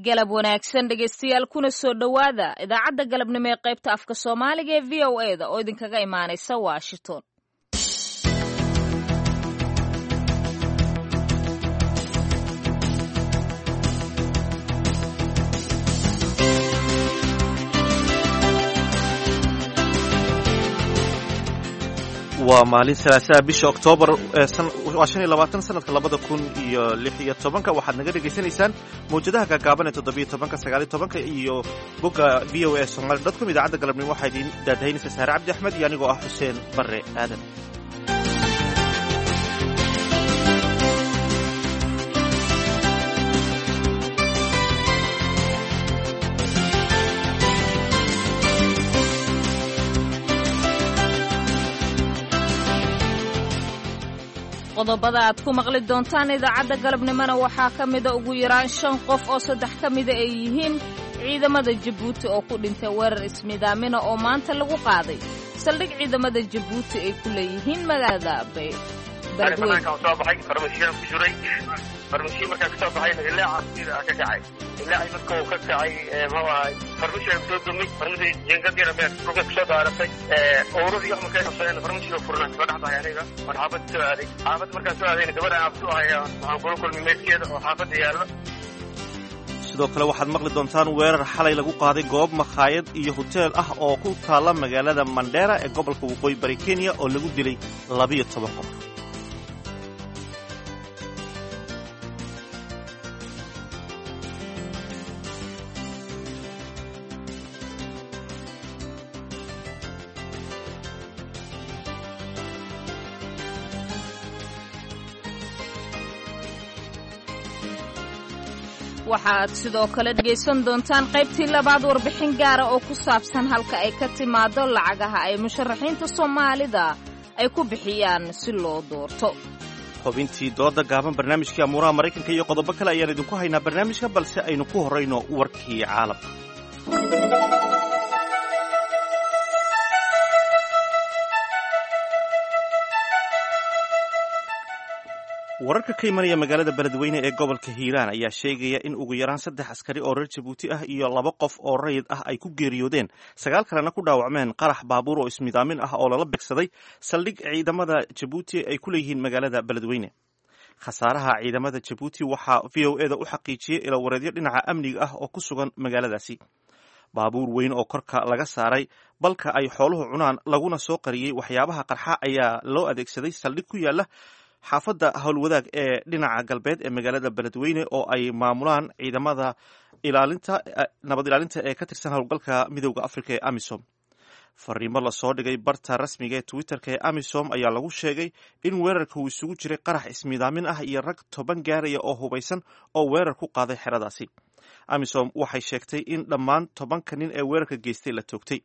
Galab wanaagsan dhegaystayaal, kuna soo dhowaada idaacadda galabnimo ee qaybta afka Soomaaliga ee VOA da oo idinkaga imaanaysa Washington. Waa maalin Salaasaha, bisha Oktoobar waa 25, sanadka 2016. Waxaad naga dhegaysanaysaan mawjadaha gaagaaban ee 17-ka, 19-ka iyo bogga voasomali.com. Idaacadda galabnimo waxaa idiin daadahaynaysa Saare Cabdi Axmed iyo anigoo ah Xuseen Barre Aadan. Qodobada aad ku maqli doontaan idaacadda galabnimona waxaa ka mida ugu yaraan shan qof oo saddex ka mida ay yihiin ciidamada Jabuuti oo ku dhintay weerar ismiidaamina oo maanta lagu qaaday saldhig ciidamada Jabuuti ay ku leeyihiin magaalada Beledweyne. Soo baxay farmashiyan ku jiray. Farmashiya markaan kasoo baxayna ilaaca sida ka kacay. Ilaacii marka uu ka kacay, muxuu ahay, farmashiga soo dumay. Farmashii jiingad yar beer dhulka kusoo daaratay. Owradii wax markay qabsadeen, farmashiga furnaa soo dhex baxay aniga. Waan xaafadda soo aaday. Xaafad markaan soo aadayna, gabadha aan abtu ahay waxaan kula kulmay meydkeeda oo xaafadda yaallo. Sidoo kale waxaad maqli doontaan weerar xalay lagu qaaday goob makhaayad iyo hoteel ah oo ku taalla magaalada Mandheera ee gobolka Waqooyi Bari Kenya oo lagu dilay 12 qof. Waxaad sidoo kale dhegaysan doontaan qaybtii labaad warbixin gaara oo ku saabsan halka ay ka timaado lacagaha ay musharaxiinta Soomaalida ay ku bixiyaan si loo doorto. Xubintii dooda gaaban, barnaamijkii amuuraha Maraykanka iyo qodobo kale ayaan idinku haynaa barnaamijka, balse aynu ku horrayno warkii caalamka. Wararka ka imanaya magaalada Beledweyne ee gobolka Hiiraan ayaa sheegaya in ugu yaraan saddex askari oo reer Jabuuti ah iyo laba qof oo rayid ah ay ku geeriyoodeen, sagaal kalena ku dhaawacmeen qarax baabuur oo ismidaamin ah oo lala beegsaday saldhig ciidamada Jabuuti ay ku leeyihiin magaalada Beledweyne. Khasaaraha ciidamada Jabuuti waxaa VOA da u xaqiijiyey ilawareedyo dhinaca amniga ah oo ku sugan magaaladaasi. Baabuur weyn oo korka laga saaray balka ay xooluhu cunaan laguna soo qariyey waxyaabaha qarxa ayaa loo adeegsaday saldhig ku yaala xaafadda Howlwadaag ee dhinaca galbeed ee magaalada Beledweyne oo ay maamulaan ciidamada ilaalinta nabad ilaalinta ee ka tirsan howlgalka Midowda Africa ee AMISOM. Fariimo lasoo dhigay barta rasmiga ee Twitterka ee AMISOM ayaa lagu sheegay in weerarka uu isugu jiray qarax ismiidaamin ah iyo rag 10 gaaraya oo hubaysan oo weerar ku qaaday xeradaasi. AMISOM waxay sheegtay in dhammaan 10-ka nin ee weerarka geystay la toogtay.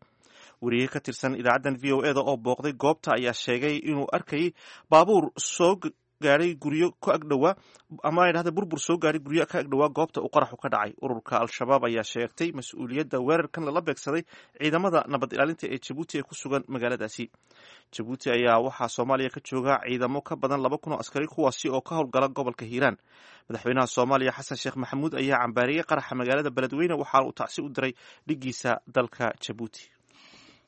Wariye ka tirsan idaacaddan VOA da oo booqday goobta ayaa sheegay inuu arkayay baabuur soo gaadhay guryo ka agdhowaa, ama ay dhahda burbur soo gaadhay guryo ka agdhowaa goobta uu qaraxu ka dhacay. Ururka Al-Shabaab ayaa sheegtay mas-uuliyadda weerarkan lala beegsaday ciidamada nabad ilaalinta ee Jabuuti ee ku sugan magaaladaasi. Jabuuti ayaa waxaa Soomaaliya ka jooga ciidamo ka badan 2000 oo askari, kuwaasi oo ka howlgala gobolka Hiiraan. Madaxweynaha Soomaaliya Xasan Sheekh Maxamuud ayaa cambaariyey qaraxa magaalada Beledweyne, waxaana uu tacsi u diray dhiggiisa dalka Jabuuti.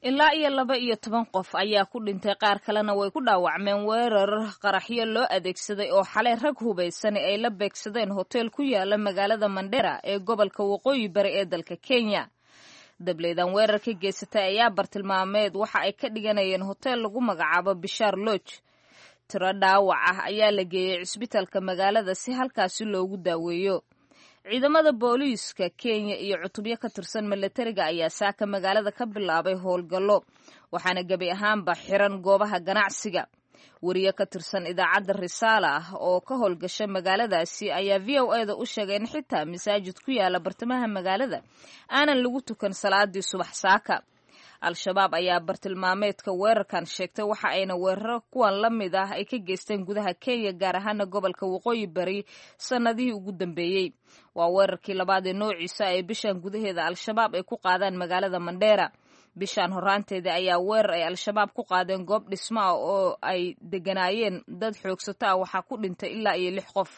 Ilaa iyo 12 qof ayaa ku dhintay, qaar kalena way ku dhaawacmeen weerar qaraxyo loo adeegsaday oo xalay rag hubaysan ay la beegsadeen hotel ku yaala magaalada Mandheera ee gobolka Waqooyi Bari ee dalka Kenya. Dableydan weerarka geysatay ayaa bartilmaameed waxa ay ka dhiganayeen hotel lagu magacaabo Bishaar Lodge. Tiro dhaawac ah ayaa la geeyey cisbitaalka magaalada si halkaasi loogu daaweeyo. Ciidamada booliiska Kenya iyo cutubyo ka tirsan milatariga ayaa saaka magaalada ka bilaabay howlgallo, waxaana gebi ahaanba xiran goobaha ganacsiga. Wariye ka tirsan idaacadda Risaala ah oo ka howlgasha magaaladaasi ayaa VOA da u sheegay in xitaa masaajid ku yaala bartamaha magaalada aanan lagu tukan salaadii subax saaka. Al-Shabaab ayaa bartilmaameedka weerarkan sheegtay, waxa ayna weeraro kuwan la mid ah ay ka geysteen gudaha Kenya, gaar ahaana gobolka Waqooyi Bari, sannadihii ugu dambeeyey. Waa weerarkii labaad ee noociisa ee bishan gudaheeda Al-Shabaab ay ku qaadaan magaalada Mandheera. Bishaan horaanteeda ayaa weerar ay Al-Shabaab ku qaadeen goob dhismo ah oo ay deganaayeen dad xoogsato ah waxaa ku dhintay ilaa iyo 6 qof.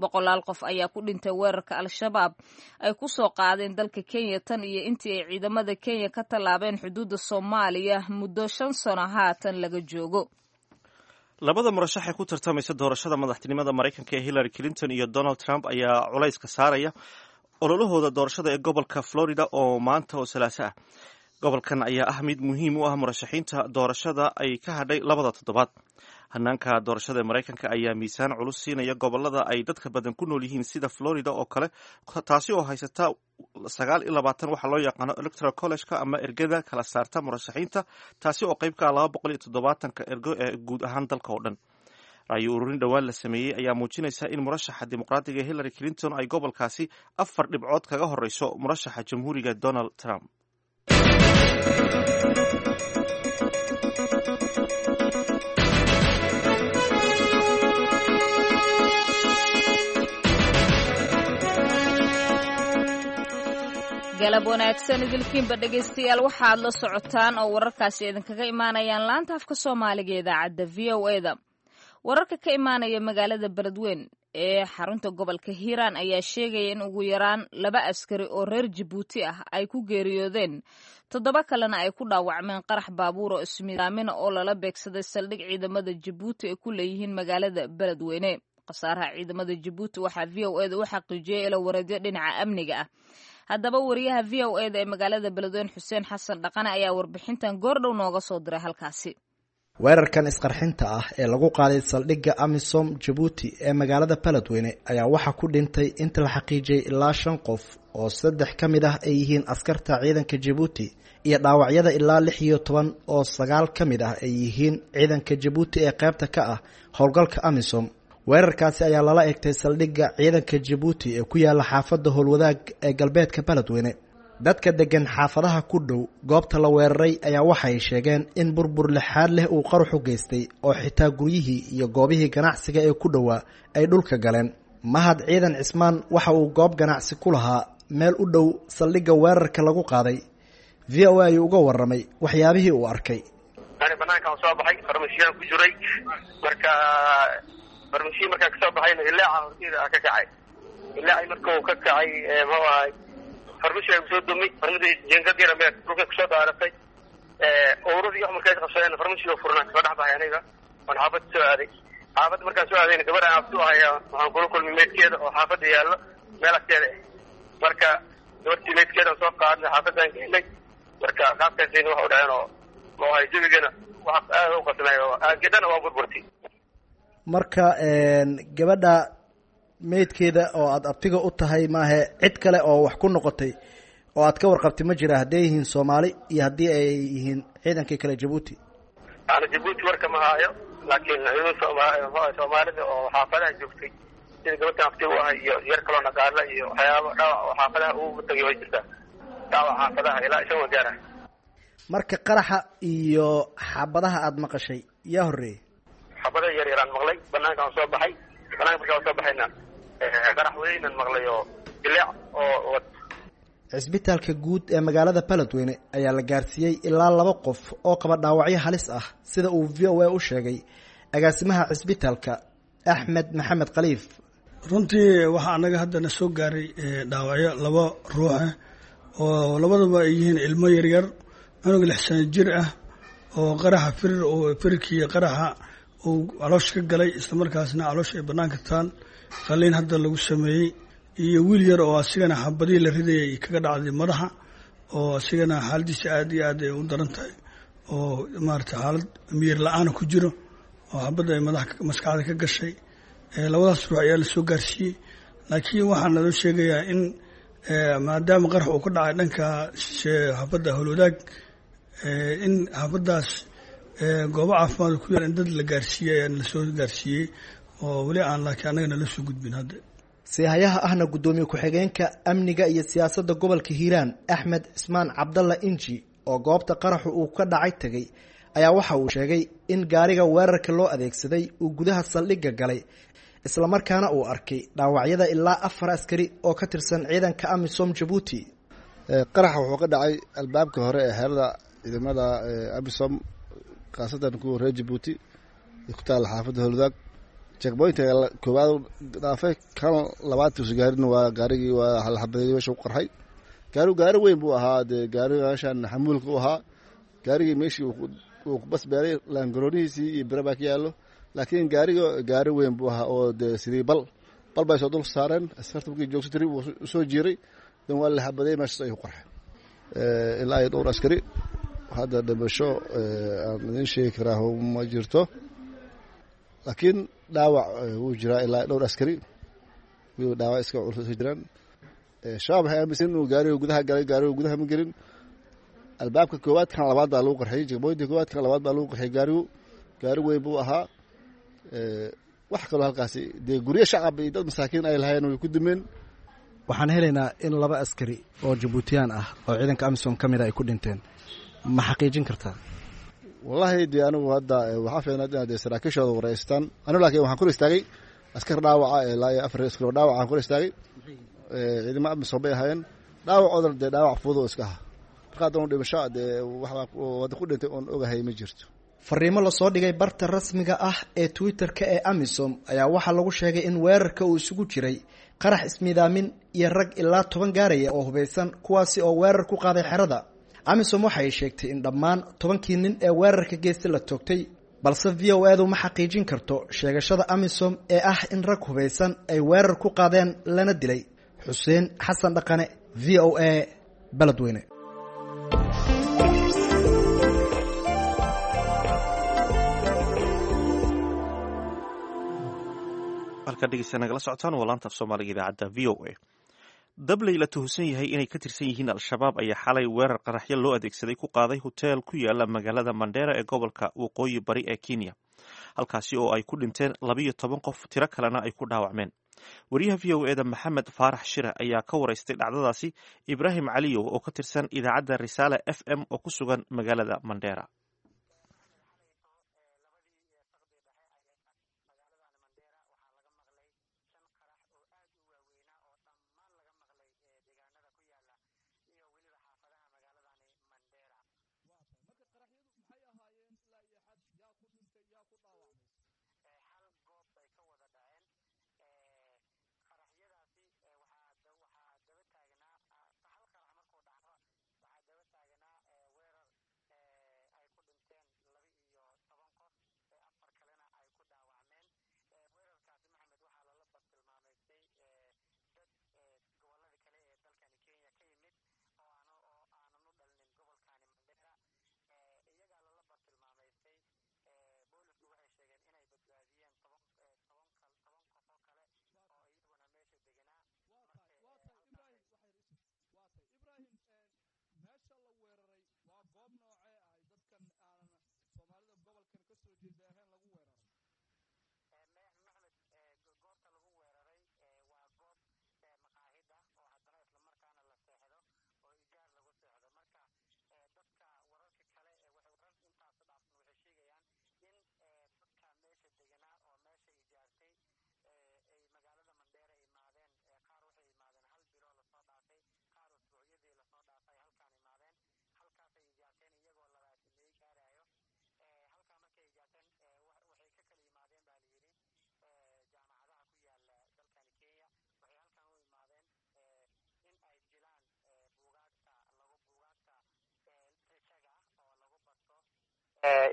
Boqolaal qof ayaa ku dhintay weerarka Al-Shabaab ay ku soo qaadeen dalka Kenya tan iyo intii ay ciidamada Kenya ka tallaabeen xuduudda Soomaaliya muddo 5 sano haatan laga joogo. Labada murashax ee ku tartamaysa doorashada madaxtinimada Maraykanka ee Hillary Clinton iyo Donald Trump ayaa culayska saaraya ololahooda doorashada ee gobolka Florida oo maanta oo Salaaso ah. Gobolkan ayaa ah mid muhiim u ah murashaxiinta doorashada ay ka hadhay labada toddobaad. Hanaanka doorashada ee Maraykanka ayaa miisaan culus siinaya gobolada ay dadka badan ku nool yihiin sida Florida oo kale, taasi oo haysata 29 waxaa loo yaqaano Electoral College-ka ama ergada kala saarta murashaxiinta, taasi oo qayb ka ah 270-ka ergo ee guud ahaan dalka oo dhan. Ra'yi ururin dhowaan la sameeyey ayaa muujinaysa in murashaxa dimuqraadiga Hillary Clinton ay gobolkaasi 4 dhibcood kaga horeyso murashaxa jamhuuriga Donald Trump. Galab wanaagsan idilkiinba dhegaystayaal, waxaad la socotaan oo wararkaasi idinkaga imaanayaan laanta afka Soomaaliga ee idaacadda VOA-da. Wararka ka imaanaya magaalada Beledweyn ee xarunta gobolka Hiiraan ayaa sheegaya in ugu yaraan 2 askari oo reer Jabuuti ah ay ku geeriyoodeen, 7 kalena ay ku dhaawacmeen qarax baabuur oo ismidaamina oo lala beegsaday saldhig ciidamada Jabuuti ay ku leeyihiin magaalada Beledweyne. Khasaaraha ciidamada Jabuuti waxaa VOA-da u xaqiijiyey ilo wareedyo dhinaca amniga ah. Haddaba wariyaha VOA-da ee magaalada Beledweyne Xuseen Xasan Dhaqane ayaa warbixintan goordhow nooga soo diray halkaasi. Weerarkan isqarxinta ah ee lagu qaaday saldhigga AMISOM Jabuuti ee magaalada Beledweyne ayaa waxaa ku dhintay inta la xaqiijiyey ilaa 5 qof oo 3 ka mid ah ay yihiin askarta ciidanka Jabuuti iyo dhaawacyada ilaa 16 oo 9 ka mid ah ay yihiin ciidanka Jabuuti ee qaybta ka ah howlgalka AMISOM. Weerarkaasi ayaa lala egtay saldhigga ciidanka Jabuuti ee ku yaala xaafadda Howlwadaag ee galbeedka Beledweyne. Dadka degan xaafadaha ku dhow goobta la weeraray ayaa waxay sheegeen in burbur lixaad leh uu qaruxu geystay oo xitaa guryihii iyo goobihii ganacsiga ee ku dhowaa ay dhulka galeen. Mahad Ciidan Cismaan waxa uu goob ganacsi ku lahaa meel u dhow saldhigga weerarka lagu qaaday. VOA ayuu uga warramay waxyaabihii uu arkay. Ani banaankaan soo baxay, farmasiyaan ku jiray. Marka farmasiya markaan kasoo baxayna ilaaca horteyda ka kacay. Ilaacii marka uu ka kacay muxuu ahay farmasiga kusoo dumay, farmasi jinkad yar meel dhulka kusoo daaratay. Ururadii wax markay qabsadeen farmasiga furnaa kasoo dhex baxay aniga oon xaafadda soo aaday. Xaafadda markaan soo aadayna gabadha aan abtu ahay waxaan kula kulmay meydkeeda oo xaafadda yaallo meel agteeda ah. Marka gabartii meydkeeda soo qaadnay xaafaddaan geynay. Marka qaabkaasayna wax u dhaceen oo muxuu ahay jabigana wax aad u qasnay oo aagedhana waa burburtay. Marka gabadha meydkeeda oo aada abtiga u tahay maahe cid kale oo wax ku noqotay oo aad ka warqabtay ma jira, hadday yihiin Soomaali iyo haddii ay yihiin ciidankii kale Jabuuti? Ana Jabuuti warka ma haayo, laakiin ciidan Soomaalida oo xaafadaha joogtay sida gabadhan abtiga u ahay iyo yar kaloo naqaala iyo waxyaaba dhaawac oo xaafadaha ugu tagay way jirtaa. Dhaawac xaafadaha ilaa 5 gaara. Marka qaraxa iyo xabadaha aada maqashay yaa horreeyey? Xabada yar yaraan maqlay, banaankaan soo baxay. Banaanka markaan soo baxayna qarax weynan maqlay oo dilaac oo wad. Cisbitaalka guud ee magaalada Beledweyne ayaa la gaarsiiyey ilaa 2 qof oo qaba dhaawacyo halis ah, sida uu VOA u sheegay agaasimaha cisbitaalka Axmed Maxamed Khaliif. Runtii waxaa anaga haddana soo gaaray dhaawacyo 2 ruux ah oo labadaba ay yihiin ilmo yaryar, cunug 6 sano jir ah oo qaraxa firir oo firkii qaraxa uu caloosha ka galay, islamarkaasna caloosha ay banaanka taal, qaliin hadda lagu sameeyey, iyo wiil yar oo asigana xabadihii la ridayay kaga dhacday madaxa oo asigana xaaladiisa aad iyo aad ay u daran tahay oo maarata xaalad miyir la-aana ku jiro oo xabadda ay madaxa maskaxda ka gashay. Labadaas ruux ayaa lasoo gaarsiiyey, laakiin waxaa naloo sheegayaa in maadaama qarax uu ka dhacay dhanka xaafadda Howlwadaag, in xaafaddaas goobo caafimaad ku yaal in dad la gaarsiiyey ayaa lasoo gaarsiiyey oo weli aan laakiin annaga nala soo gudbin hadda. Siihayaha ahna guddoomiye ku-xigeenka amniga iyo siyaasadda gobolka Hiiraan Axmed Cismaan Cabdalla Inji oo goobta qaraxu uu ka dhacay tegay ayaa waxa uu sheegay in gaariga weerarka loo adeegsaday uu gudaha saldhigga galay, islamarkaana uu arkay dhaawacyada ilaa 4 askari oo ka tirsan ciidanka AMISOM Jabuuti. Qaraxa wuxuu ka dhacay albaabka hore ee xerada ciidamada Amisom, khaasatan kuwa reer Jabuuti ku taalla xaafadda Howlwadaag. Checkpointka koowaad dhaafay, kan labaad tuusa gaarin waa gaarigii waa la xabadeeyey, meesha ku qarxay. Gaarigu gaari weyn buu ahaa, dee gaariga meeshan xamuulka u ahaa. Gaarigii meeshii uu ku basbeeray, laangaroonihiisii iyo bira baa ka yaallo, laakiin gaariga gaari weyn buu ahaa oo dee sidii bal bal bay soo dul saareen askarta. Markii joogso tiri wuu soo jiiray, dan waa la xabadeeyey, meeshaas ayuu ku qarxay. Ilaa iyo dhowr askari hadda dhimasho aan idin sheegi karaa ma jirto, laakiin dhaawac wuu jiraa. Ilaa dhowr askari wuu dhaawac iska culus iska jiraan. Shabaab waxay aaminsan inuu gaariga gudaha galay. Gaariga gudaha ma gelin. Albaabka koowaad kan labaad baa lagu qarxiyey, checkpointka koowaad kan labaad baa lagu qarxiyey. Gaarigu gaari weyn buu ahaa. Wax kaloo halkaasi dee guryo shacab iyo dad masaakiin ay lahaayeen way ku dumeen. Waxaan helaynaa in laba askari oo Jabuutiyaan ah oo ciidanka AMISOM ka mid a ay ku dhinteen. Ma xaqiijin kartaa? Wallaahi dee anigu hadda waxaa fiicnaad inaad dee saraakiishooda wareystaan anigu, laakiin waxaan kor istaagay askar dhaawaca, ilaa iyo 4 askar oo dhaawaca aan kor istaagay. Ciidamo AMISOM bay ahaayeen. Dhaawacoodana dee dhaawac fudud oo iska aha. Marka haddana dhimasho dee waxbaa wadda ku dhintay oon ogahay ma jirto. Fariimo lasoo dhigay barta rasmiga ah ee Twitter-ka ee AMISOM ayaa waxaa lagu sheegay in weerarka uu isugu jiray qarax ismiidaamin iyo rag ilaa 10 gaaraya oo hubeysan, kuwaasi oo weerar ku qaaday xerada. AMISOM waxay sheegtay in dhammaan 10kii nin ee weerarka geesta la toogtay, balse VOA du ma xaqiijin karto sheegashada AMISOM ee ah in rag hubeysan ay weerar ku qaadeen lana dilay. Xuseen Xasan Dhaqane, VOA, Beledweyne. Halkaa dhegeysta nagala socotaan waa laanta af Soomaaliga idaacadda VOA. Dabley la tuhusan yahay inay ka tirsan yihiin Al-Shabaab ayaa xalay weerar qaraxyo loo adeegsaday ku qaaday hoteel ku yaala magaalada Mandheera ee gobolka Waqooyi Bari ee Kenya, halkaasi oo ay ku dhinteen 12 qof, tiro kalena ay ku dhaawacmeen. Wariyaha VOA da Maxamed Faarax Shire ayaa ka waraystay dhacdadaasi Ibraahim Caliyow oo ka tirsan idaacadda Risaale FM oo ku sugan magaalada Mandheera.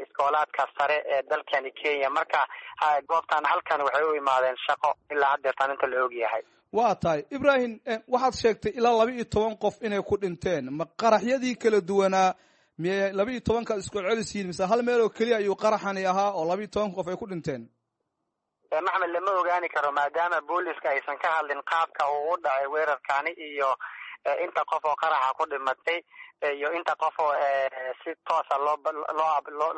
Iskoolaadka sare ee dalkani Kenya. Marka goobtan halkan waxay u imaadeen shaqo ilaa haddeertaan inta la og yahay. Waa tahay Ibrahim, waxaad sheegtay ilaa 12 qof inay ku dhinteen. Ma qaraxyadii kala duwanaa miyay 12kaad isku celisiin, mise hal meel oo keliya ayuu qaraxani ahaa oo 12 qof ay ku dhinteen? Maxmed, lama ogaani karo maadaama booliska aysan ka hadlin qaabka uu u dhacay weerarkani iyo inta qof oo qaraxa ku dhimatay iyo inta qof oo si toosa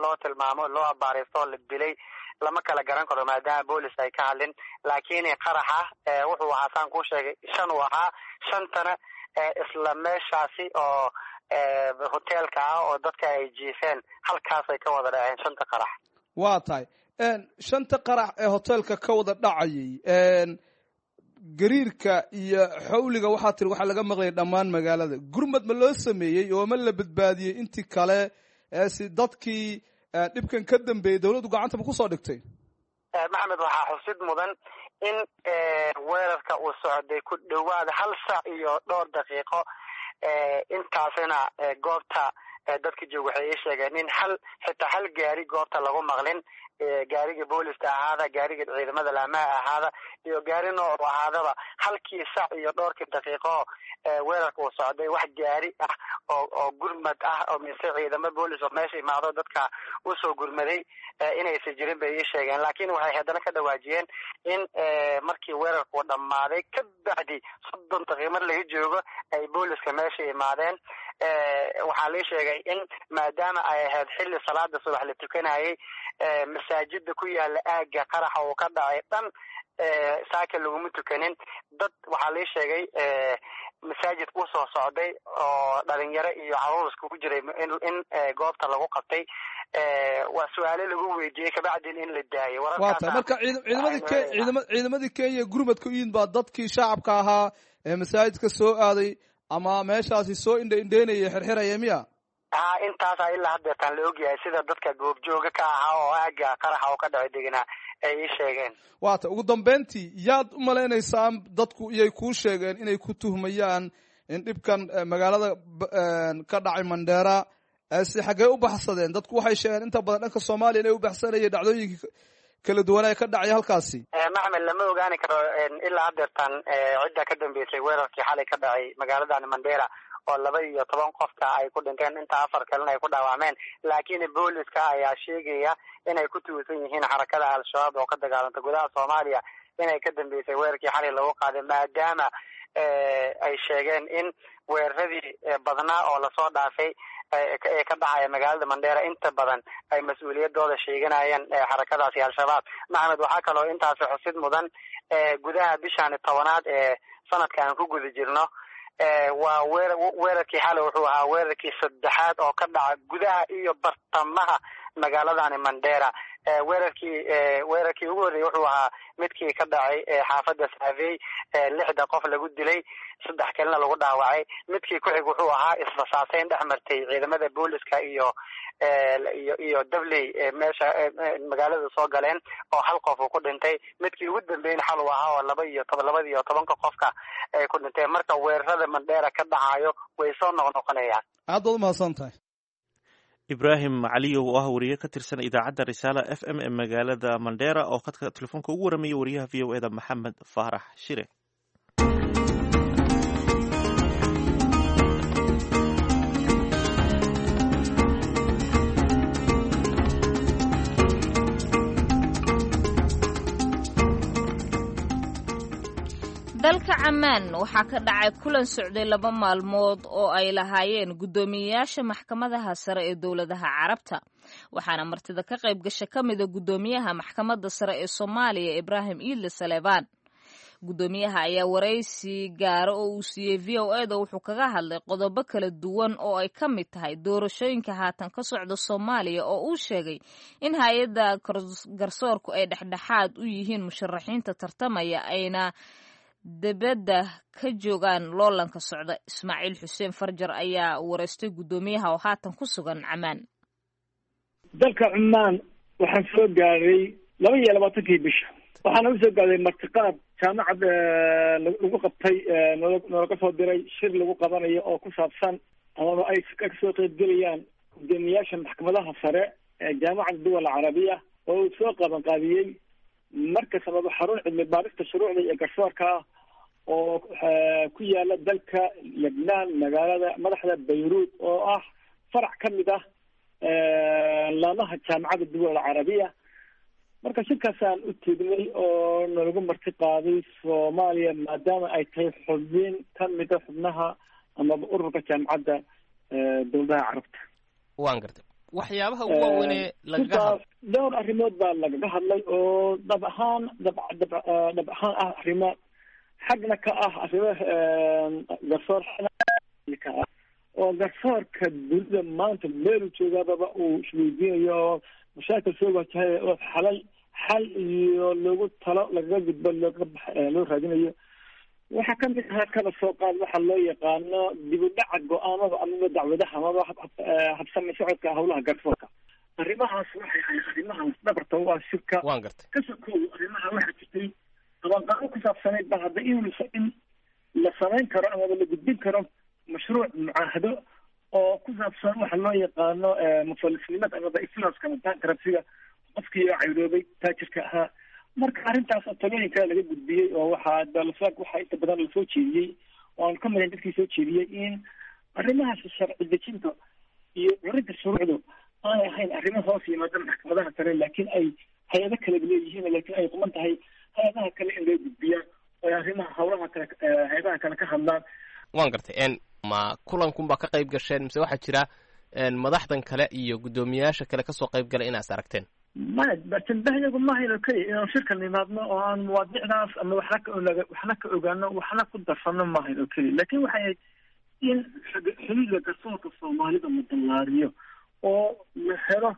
loo tilmaamo, loo abaaraysto oo la dilay lama kala garan karo maadaama boolis ay ka hadlin. Laakiin qaraxa wuxuu ahaa, saan kuu sheegay, 5 uu ahaa, shantana isla meeshaasi oo hoteelka ah oo dadka ay jiifeen halkaasay ka wada dhaceen shanta qarax. Waa tahay, shanta qarax ee hoteelka ka wada dhacayay Gariirka iyo xawliga waxaa tiri waxaa laga maqlayay dhammaan magaalada. Gurmad ma loo sameeyey oo ma la badbaadiyey intii kale si dadkii dhibkan ka dambeeyey dowladdu gacanta ma kusoo dhigtay? Maxamed, waxaa xusid mudan in weerarka uu socday ku dhowaad 1 saac iyo dhowr daqiiqo. Intaasina goobta dadka jooga waxay ii sheegeen in xitaa hal gaari goobta lagu maqlin, gaariga booliska ahaada, gaariga ciidamada laamaha ahaada iyo gaari nooc ahaadaba. Halkii saac iyo dhowrkii daqiiqo weerarka uu socday wax gaari ah oo gurmad ah oo mise ciidamo boolis oo meesha imaado dadka usoo gurmaday inaysan jirin bay ii sheegeen. Laakiin waxay haddana ka dhawaajiyeen in markii weerarku dhammaaday ka bacdi 30 daqiiqo mar laga joogo ay booliska meesha imaadeen. Waxaa lii sheegay in maadaama ay ahayd xilli salaada subax la tukanayay, masaajida ku yaala aagga qaraxa uu ka dhacay dhan saaka laguma tukanin. Dad waxaa lii sheegay masaajidka usoo socday oo dhalinyaro iyo caruur iskugu jiray in goobta lagu qabtay, waa su-aale lagu weydiiyey kabacdin in la daayay. Waa tahay. Marka ciidamadii Kenya gurmadka u yimid baa dadkii shacabka ahaa ee masaajidka soo aaday ama meeshaasi soo indha indheynaya xirxiraya miya? Ha, intaasa ilaa haddeertaan la ogyahay sida dadka goobjooga ka ahaa oo aagga qaraxa oo ka dhacay deganaa ay ii sheegeen. Waa ta ugu dambeyntii, yaad u malaynaysaa dadku iyay kuu sheegeen inay ku tuhmayaan in dhibkan magaalada ka dhacay Mandheera? Si xaggee u baxsadeen dadku? Waxay sheegeen inta badan dhanka Soomaaliya inay u baxsanayeen dhacdooyinkii kala duwan ee ka dhacay halkaasi. Maxmed, lama ogaani karo ilaa haddeertaan cidda ka dambeysay weerarkii xalay ka dhacay magaaladan Mandheera oo 12 qofka ay ku dhinteen, inta 4 kalena ay ku dhaawacmeen. Laakiin booliska ayaa sheegaya inay ku tuusan yihiin xarakada Al-Shabaab oo ka dagaalanta gudaha Soomaaliya inay ka dambeysay weerarkii xalay lagu qaaday, maadaama ay sheegeen in weeraradii badnaa oo lasoo dhaafay ee ka dhacaya magaalada Mandheera inta badan ay mas-uuliyadooda sheeganayeen xarakadaasi Al-Shabaab. Maxamed, waxaa kaloo intaasi xusid mudan gudaha bishan 10aad ee sanadka aan ku guda jirno, waa weerarkii xalay wuxuu ahaa weerarkii 3aad oo ka dhaca gudaha iyo bartamaha magaaladani Mandheera. Weerarkii ugu horreeyey wuxuu ahaa midkii ka dhacay xaafadda Saavey, 6 qof lagu dilay, 3 kalena lagu dhaawacay. Midkii ku xig wuxuu ahaa israsaaseyn dhex martay ciidamada booliska iyo iyo dabley meesha magaalada soo galeen oo 1 qof uu ku dhintay. Midkii ugu dambeeyna xal uu ahaa oo 12 qofka ay ku dhinteen. Marka weerarada Mandheera ka dhacayo way soo noqnoqonayaan. Aad baad umahadsan tahay. Ibraahim Caliyow oo ah wariye ka tirsan idaacadda Risaala FM ee magaalada Mandheera oo khadka telefoonka ugu warramaya wariyaha VOA da Maxamed Faarax Shire. Dalka Camaan waxaa ka dhacay kulan socday 2 maalmood oo ay lahaayeen guddoomiyeyaasha maxkamadaha sare ee dowladaha Carabta, waxaana martida ka qayb gasha ka mida guddoomiyaha maxkamadda sare ee Soomaaliya Ibraahim Iidle Saleebaan. Guddoomiyaha ayaa waraysi gaara oo uu siiyey VOA da wuxuu kaga hadlay qodobo kala duwan oo ay ka mid tahay doorashooyinka haatan ka socda Soomaaliya oo uu sheegay in hay-adda garsoorku ay dhexdhexaad u yihiin musharaxiinta tartamaya ayna dibadda ka joogaan loolanka socda. Ismaaciil Xuseen Farjar ayaa wareystay guddoomiyaha oo haatan ku sugan Camaan. Dalka Cumaan waxaan soo gaaray 22-kii bisha, waxaana usoo gaaray martiqaad jaamacad lagu qabtay, nalaga soo diray shir lagu qabanayo oo ku saabsan amaba ay kasoo qeybgelayaan guddoomiyaasha maxkamadaha sare ee Jaamacadda Duwal Carabiya oo uu soo qabanqaabiyey markas amaba xarun cilmi baarista shuruucda iyo garsoorka ah oo ku yaala dalka Lebnaan, magaalada madaxda Bayruud, oo ah farac ka mid ah laamaha Jaamacadda Duwal Carabiya. Marka shirkaasaan u tegnay oo nalagu marti qaaday Soomaaliya maadaama ay tahay xubin ka mida xubnaha amaba ururka jaamacadda dowladaha Carabta. Waan gartay. Waxyaabaha ugu waaweynee lagaga hadlo? Dhowr arrimood baa lagaga hadlay oo dhab ahaan dhab dhab ahaan ah arrimo xagna ka ah arrimo garsoor ka ah oo garsoorka dunida maanta meelu joogaababa uu isweydiinayo oo mashaakil soo wajahay oo xalal xal iyo loogu talo lagaga gudbo looga loo raadinayo. Waxaa ka mid ahaa kala soo qaad waxa loo yaqaano dib u dhaca go-aamada amaba dacwadaha amaba habsami socodka howlaha garsoorka. Arrimahaas waxay ahayd arrimahaas dhabarta u ah shirka. Waan gartay. Ka sokow arrimaha waxaa jirtay qabanqaabo ku saabsanayd ba hadda in la samayn karo amaba la gudbin karo mashruuc mucaahado oo ku saabsan waxa loo yaqaano mufalisnimada amaba iflaaska ama bankruptcy-ga, qofkii cayroobay taajirka ahaa. Marka arrintaas oo talooyinka laga gudbiyey oo waxaa dalasaag waxaa inta badan lasoo jeediyey oo aan ka madayn dadkii soo jeediyey in arrimahaas sharci dejinta iyo curinta shuruucdu aanay ahayn arrimo hoos yimaada maxkamadaha sare, laakiin ay hay-ado kale leeyihiin, laakiin ay quman tahay hay-adaha kale in loo gudbiyaa oo ay arrimaha howlaha kale hay-adaha kale ka hadlaan. Waan gartay. Ma kulankunbaa ka qayb gasheen mise waxaa jira madaxdan kale iyo guddoomiyaasha kale kasoo qayb galay inaas aragteen? Maya, tanbahyagu maahayn oo keliya inaanu shirka nimaadno oo aan mawaadiicdaas ama waxna ka waxna ka ogaano waxna ku darsano maahayn oo keliya, laakiin waxay ahayd in xuduudda garsoorka soomaalida la ballaariyo oo la helo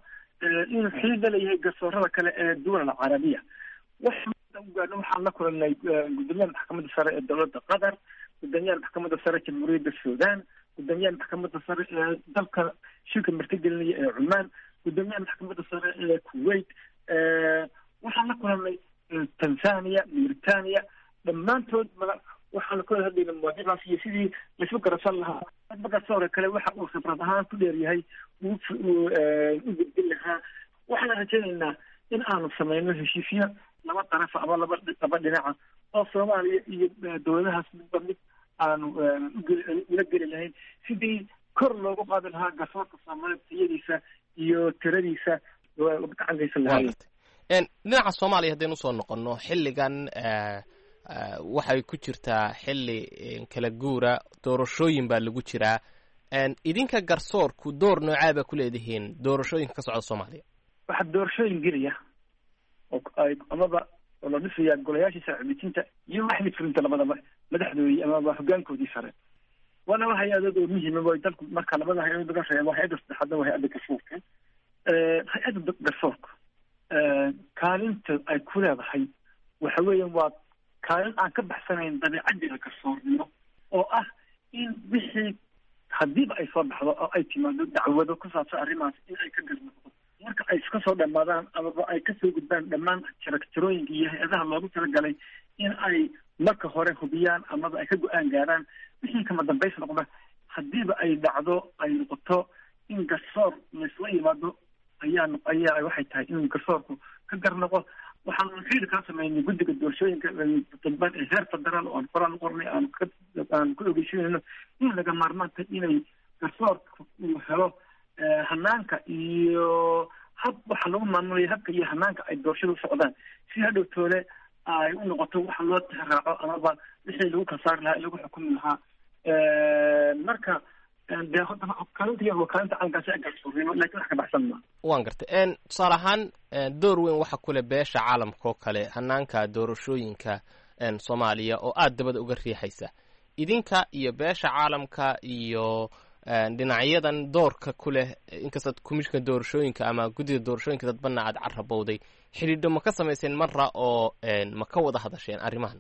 inuu xuduud la leeyahay garsoorada kale ee duwal alcarabiya. Waxaan u gaadhno waxaan la kulanay guddoomiyaha maxkamadda sare ee dowladda Qatar, guddoomiyaha maxkamadda sare jamhuuriyadda Suudaan, guddoomiyaha maxkamadda sare ee dalka shirka martigelinaya ee Cumaan, guddoomiyaha maxkamadda sare ee Kuwait. Waxaan la kulanay Tanzania, Mauritania, dhammaantood waxaan kula hadlayna mawaadiicdaas iyo sidii laisku garabsan lahaa. Hadba garsoorka kale waxa uu khibrad ahaan ku dheeryahay u gudbin lahaa. Waxaan rajaynaynaa in aanu sameyno heshiisyo laba darafa ama laba dhinaca oo Soomaaliya iyo dowladahaas midba mid aanu ula geli lahayn sidii kor loogu qaadi lahaa garsoorka Soomaalida tayadiisa iyo tiradiisa gacan geysan lahaayeen. Dhinaca Soomaaliya haddaynu usoo noqono, xilligan waxay ku jirtaa xilli kala guura, doorashooyin baa lagu jiraa. Idinka garsoorku door noocaa baa ku leedihiin doorashooyinka ka socda Soomaaliya? Waxaa doorashooyin gelaya oo ay amaba oo la dhisayaa golayaashii sharci dejinta iyo waxmid fulinta labadaba madaxdoodii amaba hoggaankoodii sare. Waa laba hay-adood oo muhiima way dalku. Marka labada hay-adood laga reebo, hay-adda saddexaadna waa hay-adda garsoorka. Hay-adda garsoorka kaalinta ay ku leedahay waxa weeyaan waa kaalin aan ka baxsanayn dabiicaddeeda garsoornimo oo ah in wixii haddiiba ay soo baxdo oo ay timaado dacwado ku saabsan arrimahaas in ay ka garnoqdo marka ay iska soo dhammaadaan amaba ay kasoo gudbaan dhammaan jaragjarooyinka iyo hay-adaha loogu talagalay in ay marka hore hubiyaan amaba ay ka go-aan gaaraan wixii kama dambays noqda. Haddiiba ay dhacdo ay noqoto in garsoor laisla yimaado ayaa ayaa waxay tahay in garsoorku ka garnoqo. Waxaanu xiriir kala sameynay guddiga doorashooyinka dadban ee heer federaal oo aan qoraan u qornay aan ku ogeysiinayno in laga maarmaan tahay inay garsoorka uu helo hanaanka iyo hab waxa lagu maamulayo habka iyo hanaanka ay doorashada u socdaan, si hadhow toole ay u noqoto waxa loo tixraaco amaba wixii lagu kala saari lahaa lagu xukumi lahaa. Marka dee kaalinta waa kaalinta calankaasi ee garsoornimo, laakiin wax ka baxsan maa. Waan gartay. Tusaale ahaan door weyn waxa kule beesha caalamka oo kale hanaanka doorashooyinka Soomaaliya oo aada dabada uga riixaysa. Idinka iyo beesha caalamka iyo dhinacyadan doorka ku leh, inkastaad komishinka doorashooyinka ama guddida doorashooyinka dadbana aad carabowday, xidhiidho ma ka samayseen marra oo ma ka wada hadasheen arrimahan?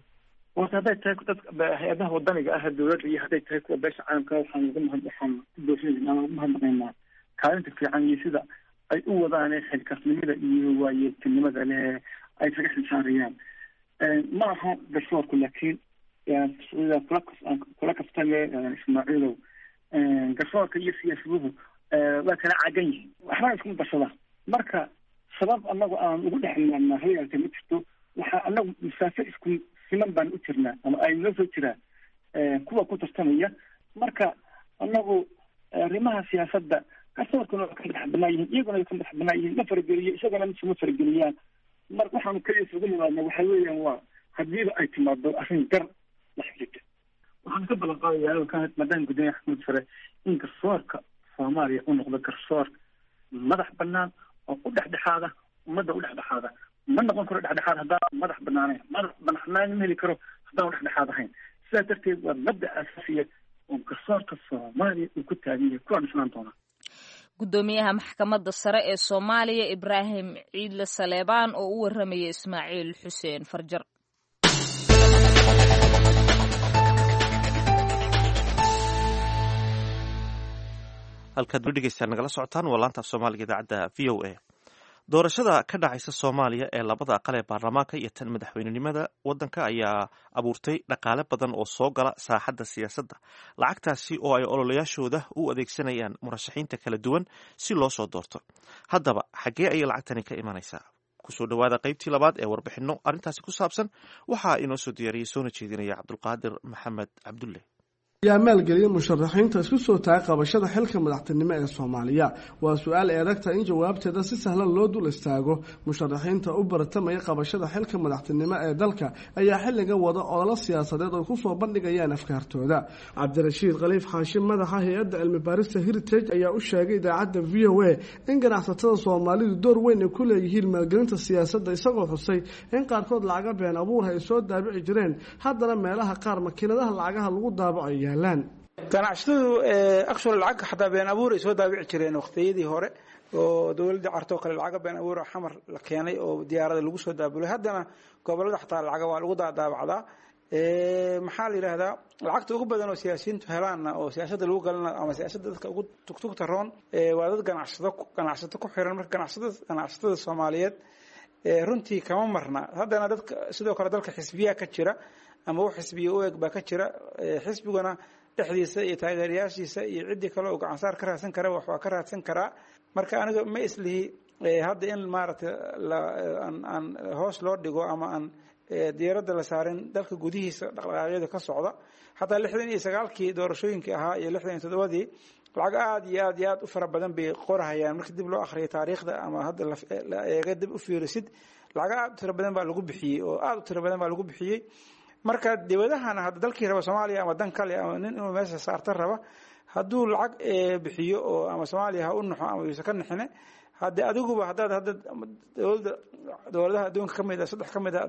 Horta hadday tahay dadka hay-adaha wadaniga ah dowladda iyo hadday tahay kuwa beesha caalamka, waxaan uga mahad waxaan ku doorsanayna ama ugu mahadnaqaynaa kaalinta fiican iyo sida ay u wadaan xilkasnimada iyo waayeeltinimada leh ay isaga xilsaarayaan. Ma aha garsoorku, laakiin sida kula kaftame Ismaaciilow, garsoorka iyo siyaasaduhu waa kala cagan yihiin, waxbana iskuma darsadaan. Marka sabab anagu aan ugu dhex maarnaa hal ma jirto. Waxaa anagu masaafo isku siman baan u jirnaa ama ay noo soo jiraa kuwa ku tartamaya. Marka anagu arrimaha siyaasadda garsoorkuna waa ka madax banaan yihiin, iyaguna way ka madax banaan yihiin, ma farageliyo isagana misuma farageliyaan. Mar waxaanu keliya isugu nimaadna waxa weeyaan waa haddiiba ay timaado arrin gar la xiriirta. Waxaan ka ballan qaadayaa maadaama guddoomiyaha maxkamadda sare in garsoorka Soomaaliya u noqdo garsoor madax banaan oo u dhexdhexaada ummadda u dhexdhexaada. Ma noqon karo dhexdhexaad haddaan madax banaanayn, madax banaanaan ma heli karo haddaan dhexdhexaad ahayn. Sidaas darteed waa mabda asaasiya oo garsoorka Soomaaliya uu ku taagan yahay kuwaa dhisnaan doonaa. Guddoomiyaha maxkamadda sare ee Soomaaliya Ibraahim Ciidle Saleebaan oo u warramayay Ismaaciil Xuseen Farjar. Halkaad weli dhegeystaan nagala socotaan waa laanta af Soomaaliga idaacadda VOA. Doorashada ka dhacaysa Soomaaliya ee labada aqal ee baarlamaanka iyo tan madaxweynenimada waddanka ayaa abuurtay dhaqaale badan oo soo gala saaxadda siyaasadda, lacagtaasi oo ay ololayaashooda u adeegsanayaan murashaxiinta kala duwan si loo soo doorto. Haddaba xaggee ayay lacagtani ka imanaysaa? Kusoo dhowaada qaybtii labaad ee warbixinno arrintaasi ku saabsan. Waxaa inoo soo diyaariyey soona jeedinaya Cabdulqaadir Maxamed Cabdulle. Yaa maalgeliyay musharaxiinta isku soo taagay qabashada xilka madaxtinimo ee Soomaaliya? Waa su-aal eedagta in jawaabteeda si sahlan loo dul istaago. Musharaxiinta u baratamaya qabashada xilka madaxtinimo ee dalka ayaa xilligan wada ololo siyaasadeed oo kusoo bandhigayaan afkaartooda. Cabdirashiid Khaliif Xaashim, madaxa hay-adda cilmi baarista Heritage, ayaa u sheegay idaacadda VOA in ganacsatada Soomaalidu door weyn ay ku leeyihiin maalgelinta siyaasadda, isagoo xusay in qaarkood lacaga been abuurha ay soo daabici jireen, haddana meelaha qaar makiinadaha lacagaha lagu daabaco. Ganacsatadu actual lacag xataa been abuur ay soo daabici jireen waqtiyadii hore oo dowladda cartoo kale lacaga been abuur Xamar la keenay oo diyaarada lagu soo daabulay. Haddana gobolada xataa lacaga waa lagu daadaabacdaa. Maxaa la yidhaahdaa, lacagta ugu badan oo siyaasiyiintu helaanna oo siyaasadda lagu galana ama siyaasadda dadka ugu tugtugta roon waa dad ganacsado, ganacsato ku xiran. Marka ganacsatada Soomaaliyeed runtii kama marna. Haddana dadka sidoo kale dalka xisbiyaa ka jira ama wax xisbiya u eg baa ka jira. Xisbiguna dhexdiisa iyo taageerayaashiisa iyo ciddii kale oo gacansaar ka raadsan kara wax waa ka raadsan karaa. Marka aniga ma islihi hadda in maaragtay aan hoos loo dhigo ama aan diiradda la saarin dalka gudihiisa dhaqdhaqaaqyada ka socda. Xataa 69-kii doorashooyinkii ahaa iyo 67-dii lacag aada iyo aad iyo aad u fara badan bay qorahayaan. Marka dib loo akhriyo taariikhda ama hadda la eega dib u fiirisid, lacag aada u tiro badan baa lagu bixiyey oo aada u tiro badan baa lagu bixiyey. Marka dibadahana hadda dalkii raba Soomaaliya ama dan kale ama nin inuu meesha saarta raba, hadduu lacag bixiyo oo ama Soomaaliya ha u naxo ama yuusan ka naxine, hadde adiguba haddaad hadda dowladda dowladaha adduunka ka mid a saddex ka mid a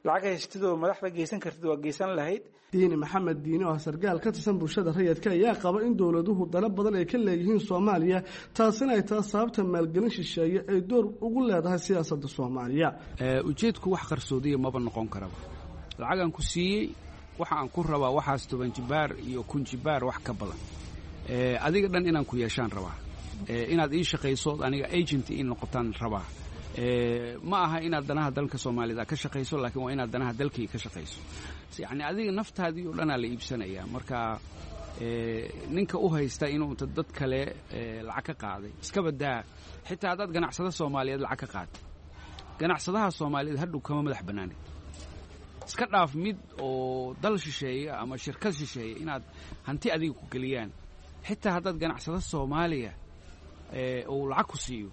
lacag haystid oo madaxda geysan kartid, waa geysan lahayd. Diini Maxamed Diini oo ah sargaal ka tirsan bulshada rayidka ayaa qaba in dowladuhu dano badan ay ka leeyihiin Soomaaliya, taasina ay taas sababta maalgelin shisheeye ay door ugu leedahay siyaasadda Soomaaliya. Ujeedku wax qarsoodiya maba noqon karaba. Lacagaan ku siiyey waxa aan ku rabaa waxaas 10 jibaar iyo 1000 jibaar wax ka badan, adiga dhan inaan ku yeeshaan rabaa, inaad ii shaqayso, aniga agent ii noqotaan rabaa. Ma aha inaad danaha dalka Soomaalida ka shaqayso, laakiin waa inaad danaha dalkii ka shaqayso. Yacni adiga naftaadii oo dhanaa la iibsanayaa. Marka ninka u haysta inuu inta dad kale lacag ka qaaday iska badaa, xitaa haddaad ganacsada Soomaaliyeed lacag ka qaaday, ganacsadaha Soomaaliyeed hadhow kama madax bannaanid. Iska dhaaf mid oo dal shisheeya ama shirkad shisheeya inaad hanti adiga ku geliyaan, xitaa haddaad ganacsado Soomaaliya uu lacag ku siiyo,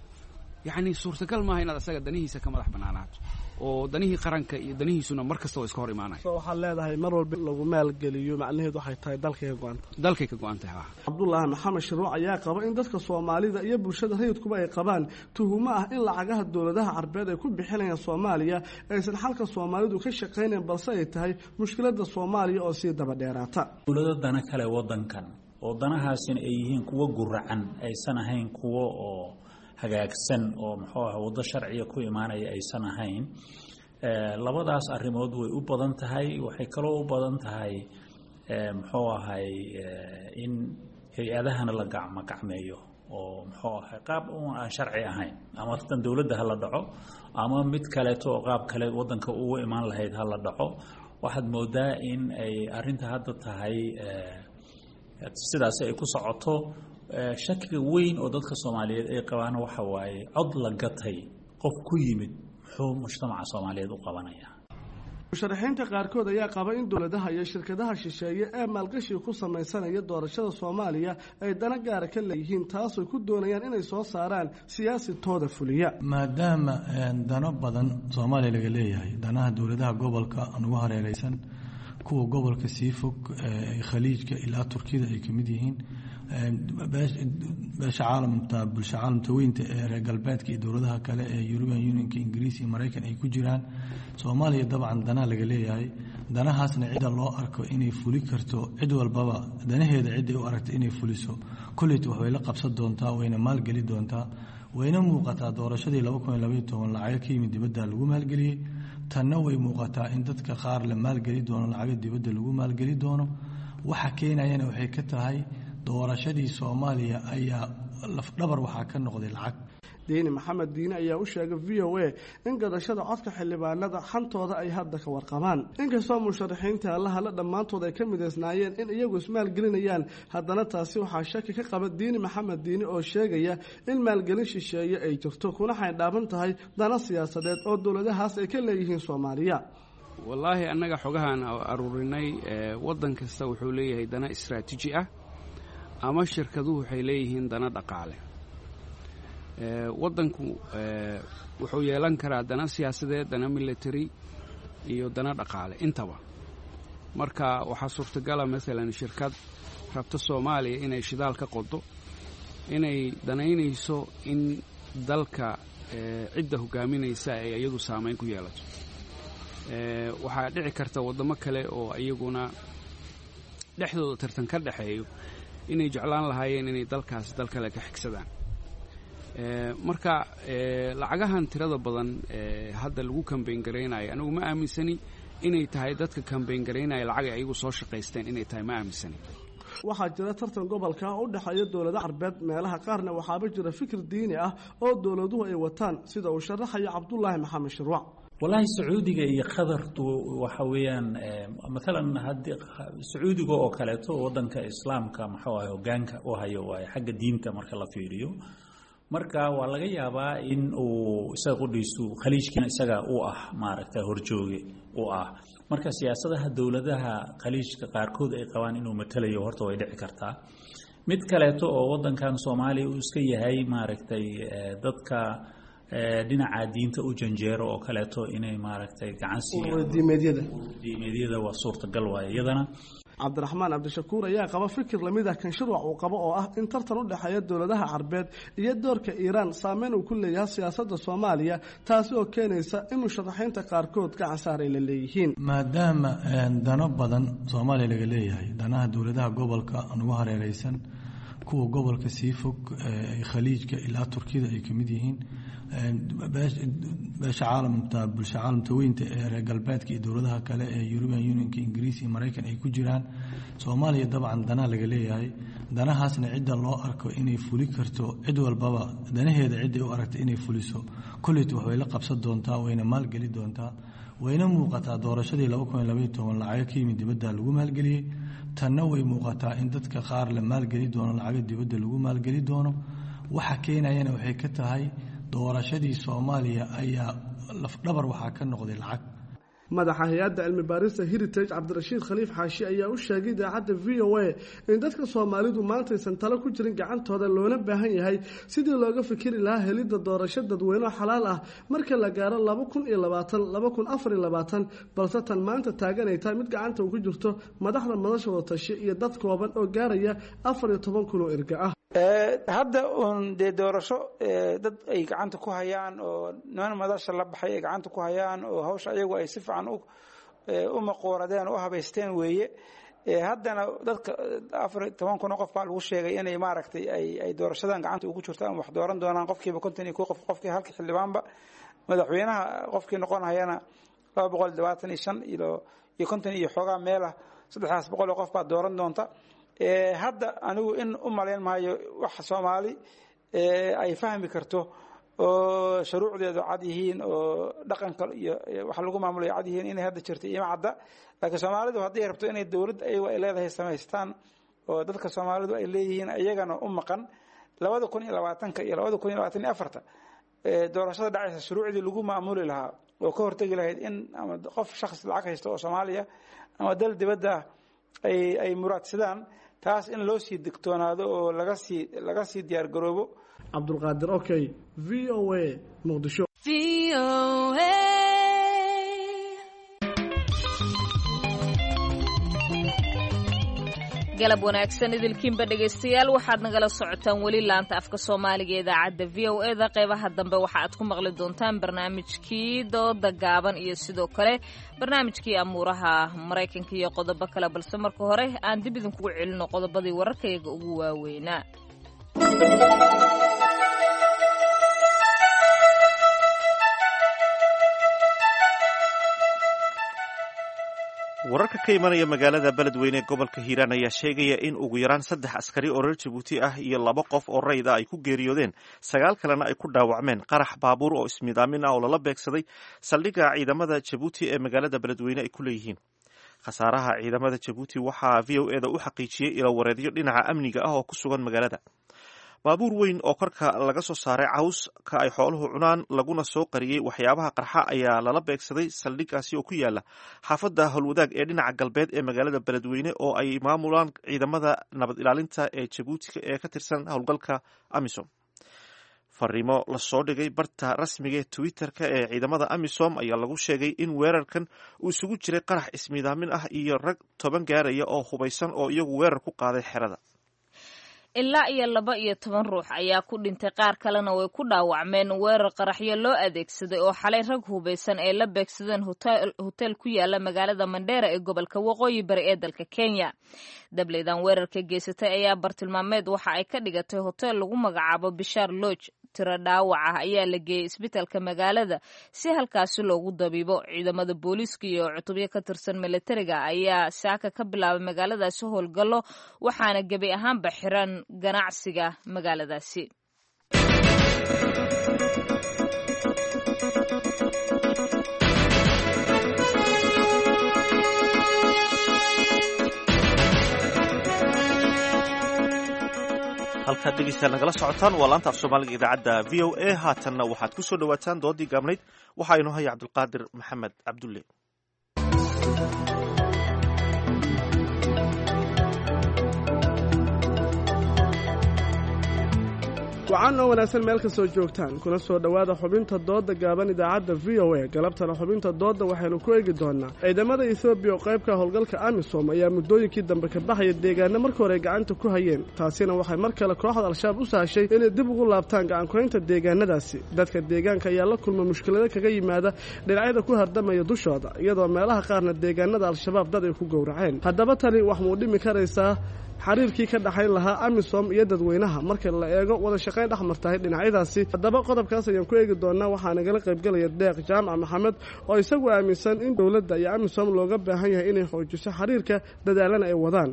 yacni suurtagal maaha inaad asaga danihiisa ka madax bannaanaato, oo danihii qaranka iyo danihiisuna mar kasta waa iska hor imaanaya. So waxaad leedahay mar walba lagu maalgeliyo macnaheedu waxay tahay dalkay ka go-anta. Dalkay ka go-an tahay. Cabdulaahi Maxamed Shiruuc ayaa qaba in dadka Soomaalida iyo bulshada rayidkuba ay qabaan tuhumo ah in lacagaha dowladaha Carbeed ay ku bixinayaan Soomaaliya aysan xalka Soomaalidu ka shaqaynayn, balse ay tahay mushkiladda Soomaaliya oo sii daba dheeraata. Dowlado dana kale wadankan oo danahaasina ay yihiin kuwo guracan, aysan ahayn kuwo oo hagaagsan oo muxuu ah waddo sharciga ku imaanaya aysan ahayn. Labadaas arrimood way u badan tahay. Waxay kaloo u badan tahay muxuu ahay in hay-adahana la gacmo gacmeeyo oo muxuu ahay qaab uun aan sharci ahayn, ama tan dowladda ha la dhaco ama mid kaleeto oo qaab kale waddanka ugu imaan lahayd ha la dhaco. Waxaad moodaa in ay arrinta hadda tahay sidaasi ay ku socoto. Shakiga weyn oo dadka Soomaaliyeed ay qabaan waxa waaye cod la gatay qof ku yimid muxuu mujtamaca Soomaaliyeed u qabanaya? Musharaxiinta qaarkood ayaa qaba in dowladaha iyo shirkadaha shisheeye ee maalgashiga ku samaysanaya doorashada Soomaaliya ay dana gaara ka leeyihiin, taasoo ku doonayaan inay soo saaraan siyaasi tooda fuliya. Maadaama dano badan Soomaaliya laga leeyahay, danaha dowladaha gobolka ugu hareereysan, kuwa gobolka sii fog, Khaliijka ilaa Turkida ay kamid yihiin, beesha caalamta, bulsha caalamta weynta ee reer galbeedka iyo dowladaha kale ee European Unionka, Ingiriis iyo Maraykan ay ku jiraan, Soomaaliya dabcan danaha laga leeyahay. Danahaasna cidda loo arko inay fuli karto, cid walbaba danaheeda cidday u aragta inay fuliso kolleyta wax way la qabsan doontaa, wayna maalgeli doontaa, wayna muuqataa. Doorashadii 2012 lacago ka yimid dibadda lagu maalgeliyey, tanna way muuqataa in dadka qaar la maalgeli doono, lacago dibadda lagu maalgeli doono. Waxa keenayana waxay ka tahay doorashadii Soomaaliya ayaa lafdhabar waxaa ka noqday lacag. Diini Maxamed Diine ayaa u sheegay VOA in gadashada codka xildhibaanada xantooda ay hadda ka warqabaan. Inkastoo musharaxiinta allahala dhammaantood ay ka midaysnaayeen in iyagu ismaalgelinayaan, haddana taasi waxaa shaki ka qaba Diini Maxamed Diine oo sheegaya in maalgelin shisheeye ay jirto kuna xaydhaaban tahay dana siyaasadeed oo dowladahaas ay ka leeyihiin Soomaaliya. Wallaahi annaga xogahaan aruurinay, waddan kasta wuxuu leeyahay dana istraatiiji ah ama shirkaduhu waxay leeyihiin dana dhaqaale. Waddanku wuxuu yeelan karaa dana siyaasadeed, dana military iyo dana dhaqaale intaba. Marka waxaa suurtagala maalan shirkad rabta Soomaaliya inay shidaal ka qodo inay danaynayso in dalka cidda hogaaminaysa ay iyadu saamayn ku yeelato. Waxaa dhici karta waddamo kale oo iyaguna dhexdooda tartan ka dhexeeyo inay jeclaan lahaayeen inay dalkaas dal kale ka xigsadaan. Marka lacagahan tirada badan hadda lagu kambayn garaynayo, anigu ma aaminsani inay tahay dadka kambayn garaynaya lacag ay ayagu soo shaqaysteen inay tahay, ma aaminsani. Waxaa jira tartan gobolka u dhexeeya dowlado carbeed, meelaha qaarna waxaaba jira fikir diini ah oo dowladuhu ay wataan, sida uu sharaxayo Cabdulaahi Maxamed Shirwac. Wallaahi Sacuudiga iyo Qatartu waxa weeyaan, maalan haddii Sacuudiga oo kaleeto, waddanka islaamka maxuu ahay hoggaanka u hayo waaye xagga diinta marka la fiiriyo. Marka waa laga yaabaa in uu isaga qudhiisu khaliijkiina isaga u ah maaragta horjooge u ah. Marka siyaasadaha dowladaha khaliijka qaarkood ay qabaan inuu matalayo horta way dhici kartaa. Mid kaleeto oo waddankan Soomaaliya uu iska yahay maaragtay dadka dhinaca diinta u janjeero oo kaleeto inay maaragtay gacan siiyaan diimeedyada waa suurtagal waaye iyadana. Cabdiraxmaan Cabdishakuur ayaa qaba fikir lamid ah kan Shirwac uu qabo oo ah in tartan u dhexeeya dowladaha carbeed iyo doorka Iiraan saameyn uu ku leeyahay siyaasadda Soomaaliya, taasi oo keenaysa in musharaxiinta qaarkood gacan saar ay la leeyihiin. Maadaama dano badan Soomaaliya laga leeyahay, danaha dowladaha gobolka nagu hareereysan, kuwa gobolka sii fog khaliijka ilaa Turkiyada ay ka mid yihiin, beesha caalamta, bulsha caalamta weynta ee reer galbeedka iyo dowladaha kale ee European Unionka, Ingiriis iyo Maraykan ay ku jiraan, Soomaaliya dabcan danaha laga leeyahay. Danahaasna cidda loo arko inay fuli karto, cid walbaba danaheeda cidday u aragta inay fuliso kolleyta waxbay la qabsan doontaa, wayna maalgeli doontaa, wayna muuqataa. Doorashadii 2012 lacago ka yimid dibadda lagu maalgeliyey, tanna way muuqataa in dadka qaar la maalgeli doono, lacago dibadda lagu maalgeli doono. Waxa keenayana waxay ka tahay doorashadii Soomaaliya ayaa lafdhabar waxaa ka noqday lacag. Madaxa hay-adda cilmi baarista Heritage Cabdirashiid Khaliif Xaashi ayaa u sheegay idaacadda VOA in dadka Soomaalidu maantaysan talo ku jirin gacantooda, loona baahan yahay sidii looga fikiri lahaa helidda doorasho dadweyne xalaal ah marka la gaaro 2020, 2024, balse tan maanta taagan ay tahay mid gacanta ugu jirto madaxda madasha wadatashe iyo dad kooban oo gaaraya 14,000 oo erga ah. Hadda uun dee doorasho dad ay gacanta ku hayaan oo niman madasha la baxay ay gacanta ku hayaan oo hawsha ayagu ay si fiican u maqooradeen oo u habaysteen weeye. Haddana dadka 14,000 oo qof baa lagu sheegay inay maaragtay ay doorashadan gacanta ugu jirto ama wax dooran doonaan, qofkiiba 51 qof, qofkii halkii xildhibaanba, madaxweynaha qofkii noqonayana 225 iyo 50 iyo xoogaa meelah, 300 oo qof baa dooran doonta. Hadda anigu in u malayn maayo wax Soomaali ay fahmi karto oo shuruucdeedu cad yihiin oo dhaqanka iyo wax lagu maamulayo cad yihiin inay hadda jirto ima cadda. Laakiin Soomaalidu hadday rabto inay dowlad ayagu ay leedahay samaystaan oo dadka Soomaalidu ay leeyihiin iyagana u maqan 2020 iyo 2024 doorashada dhacaysa shuruucdii lagu maamuli lahaa oo ka hortegi lahayd in ama qof shakhs lacag haysto oo Soomaaliya ama dal dibadda ah ay muraadsadaan, taas in loo sii digtoonaado oo laga sii diyaar garoobo. Cabdulqaadir Okay, VOA, Muqdisho. Galab wanaagsan idilkiinba dhegaystayaal, waxaad nagala socotaan weli laanta afka Soomaaliga ee idaacadda VOA da. Qeybaha dambe waxa aad ku maqli doontaan barnaamijkii dooda gaaban iyo sidoo kale barnaamijkii amuuraha Maraykanka iyo qodobo kale, balse marka hore aan dib idinkugu celino qodobadii wararkayaga ugu waaweynaa. Wararka ka imanaya magaalada Beledweyne ee gobolka Hiiraan ayaa sheegaya in ugu yaraan 3 askari oo reer Jabuuti ah iyo 2 qof oo rayid ah ay ku geeriyoodeen, 9 kalena ay ku dhaawacmeen qarax baabuur oo ismidaamin ah oo lala beegsaday saldhigga ciidamada Jabuuti ee magaalada Beledweyne ay ku leeyihiin. Khasaaraha ciidamada Jabuuti waxaa VOA da u xaqiijiyey ilo wareedyo dhinaca amniga ah oo ku sugan magaalada. Baabuur weyn oo korka laga soo saaray caws ka ay xooluhu cunaan laguna soo qariyey waxyaabaha qarxa ayaa lala beegsaday saldhiggaasi oo ku yaala xaafadda Howlwadaag ee dhinaca galbeed ee magaalada Beledweyne oo ay maamulaan ciidamada nabad ilaalinta ee Jabuuti ee ka tirsan howlgalka AMISOM. Fariimo lasoo dhigay barta rasmiga ee Twitter-ka ee ciidamada AMISOM ayaa lagu sheegay in weerarkan uu isugu jiray qarax ismiidaamin ah iyo rag 10 gaaraya oo hubaysan oo iyagu weerar ku qaaday xerada. Ilaa iyo 12 ruux ayaa ku dhintay, qaar kalena way ku dhaawacmeen weerar qaraxyo loo adeegsaday oo xalay rag hubaysan ay la beegsadeen hotel ku yaala magaalada Mandheera ee gobolka Waqooyi Bari ee dalka Kenya. Dableydan weerarka geysatay ayaa bartilmaameed waxa ay ka dhigatay hotel lagu magacaabo Bishaar Lodge. Tiro dhaawac ah ayaa la geeyey isbitaalka magaalada si halkaasi loogu dabiibo. Ciidamada booliiska iyo cutubyo ka tirsan milatariga ayaa saaka ka bilaabay magaaladaasi howlgallo, waxaana gebi ahaanba xiran ganacsiga magaaladaasi. Halkaad dhegeystayaal nagala socotaan waa laanta af Soomaaliga idaacadda VOA. Haatanna waxaad ku soo dhawaataan doodii gaabnayd. Waxaa inoo haya Cabdulqaadir Maxamed Cabdulle. Wacan oo wanaagsan meel kastoo joogtaan, kuna soo dhowaada xubinta doodda gaaban idaacadda VOA. Galabtana xubinta doodda waxaynu ku eegi doonaa ciidamada Etoobiya oo qaybka howlgalka AMISOM ayaa muddooyinkii dambe ka baxaya deegaana marka hore ay gacanta ku hayeen. Taasina waxay mar kale kooxda Al-Shabaab u sahashay inay dib ugu laabtaan gacankuhaynta deegaanadaasi. Dadka deegaanka ayaa la kulma mushkilado kaga yimaada dhinacyada ku hardamaya dushooda, iyadoo meelaha qaarna deegaanada Al-Shabaab dad ay ku gowraceen. Haddaba tani wax muu dhimi karaysaa xiriirkii ka dhaxayn lahaa AMISOM iyo dadweynaha marka la eego wada shaqayn dhex martahay dhinacyadaasi? Haddaba qodobkaas ayaan ku eegi doonaa. Waxaa nagala qaybgalaya Deeq Jaamac Maxamed oo isagu aaminsan in dowladda iyo AMISOM looga baahan yahay inay xoojiso xiriirka, dadaalana ay wadaan,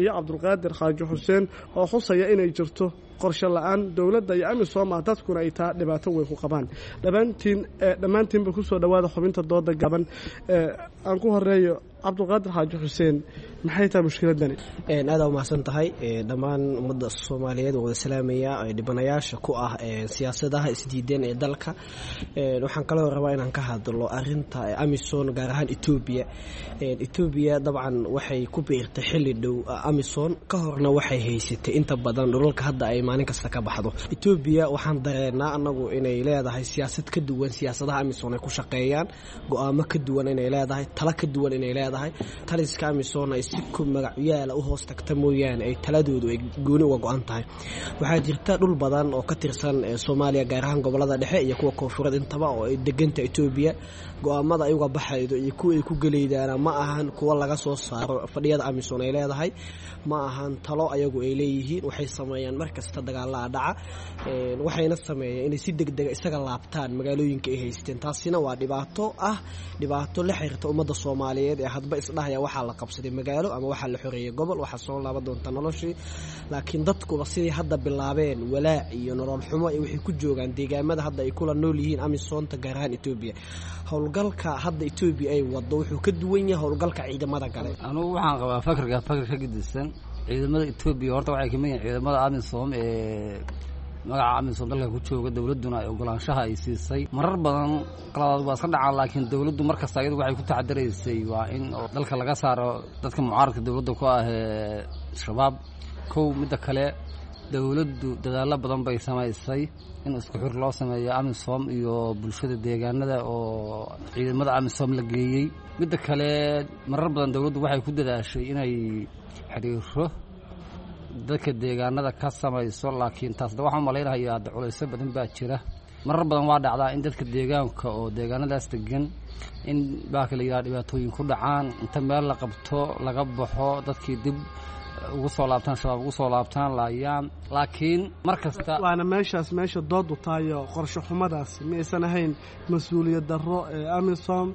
iyo Cabdulqaadir Xaaji Xuseen oo xusaya inay jirto qorshe la-aan dowladda iyo AMISOM ah, dadkuna ay taa dhibaato weyn ku qabaan. Dhammaantiin dhammaantiinba kusoo dhowaada xubinta dooda gaban. Aan ku horeeyo Cabdulqaadir Xaaji Xuseen, maxay tahay mushkiladani? Aada umahadsan tahay. Dhammaan ummadda Soomaaliyeed waa wada salaamaya dhibanayaasha ku ah siyaasadaha isdiideen ee dalka. Waxaan kaloo rabaa inaan ka hadlo arinta AMISOM, gaar ahaan Etoobiya. Etoobiya dabcan waxay ku biirtay xilli dhow AMISOM, ka horna waxay haysatay inta badan dhulalka hadda ay maalin kasta ka baxdo Etoobiya. Waxaan dareenaa anagu inay leedahay siyaasad ka duwan siyaasadaha AMISOM ay ku shaqeeyaan, go-aamo ka duwan inay leedahay, talo ka duwan inay leedahay. Taliska AMISOM ay si ku magacyaala u hoos tagta mooyaane ay taladoodu ay gooni uga go-an tahay. Waxaa jirta dhul badan oo ka tirsan Soomaaliya, gaar ahaan gobolada dhexe iyo kuwa koonfureed intaba, oo ay deganta Etoobiya. Go-aamada ay uga baxaydo iyo kuwa ay ku gelaydaana ma ahan kuwa laga soo saaro fadhiyada AMISOM ay leedahay, ma ahan talo ayagu ay leeyihiin. Waxay sameeyaan mar kasta dagaalaa dhaca, waxayna sameeyaan inay si degdega isaga laabtaan magaalooyinka ay haysteen. Taasina waa dhibaato ah, dhibaato la xiriirta ummadda Soomaaliyeed ee hadba isdhahaya waxaa la qabsaday magaalo ama waxaa la xoreeyey gobol, waxaa soo laaban doonta noloshii. Laakiin dadkuba sidii hadda bilaabeen walaac iyo nolol xumo ay waxay ku joogaan deegaamada hadda ay kula nool yihiin AMISOMta, gaar ahaan Etoobiya. Howlgalka hadda Etoobiya ay wado wuxuu ka duwan yahay howlgalka ciidamada gale. Anugu waxaan qabaa fakarka fakar ka gedisan. Ciidamada Etoobiya horta waxay kamid yihiin ciidamada AMISOM ee magaca AMISOM dalka ku jooga, dowladduna ay ogolaanshaha ay siisay. Marar badan qaladaad waa iska dhacaan, laakiin dowladdu mar kasta iyadu waxay ku taxadaraysay waa in dalka laga saaro dadka mucaaradka dowladda ku ah ee Shabaab. Kow midda kale, dowladdu dadaallo badan bay samaysay in isku xir loo sameeyo AMISOM iyo bulshada deegaanada oo ciidamada AMISOM la geeyey. Midda kale, marar badan dowladdu waxay ku dadaashay inay xiriiro dadka deegaanada ka samayso, laakiin taasna waxaan malaynayaa hadda culaysyo badan baa jira. Marar badan waa dhacdaa in dadka deegaanka oo deegaanadaas degan in baa kala yidhaha dhibaatooyin ku dhacaan, inta meel la qabto laga baxo, dadkii dib ugu soo laabtaan, shabaab ugu soo laabtaan, laayaan. Laakiin mar kasta waana meeshaas meesha doodu tahayo qorshe xumadaasi ma aysan ahayn mas-uuliyad darro ee AMISOM,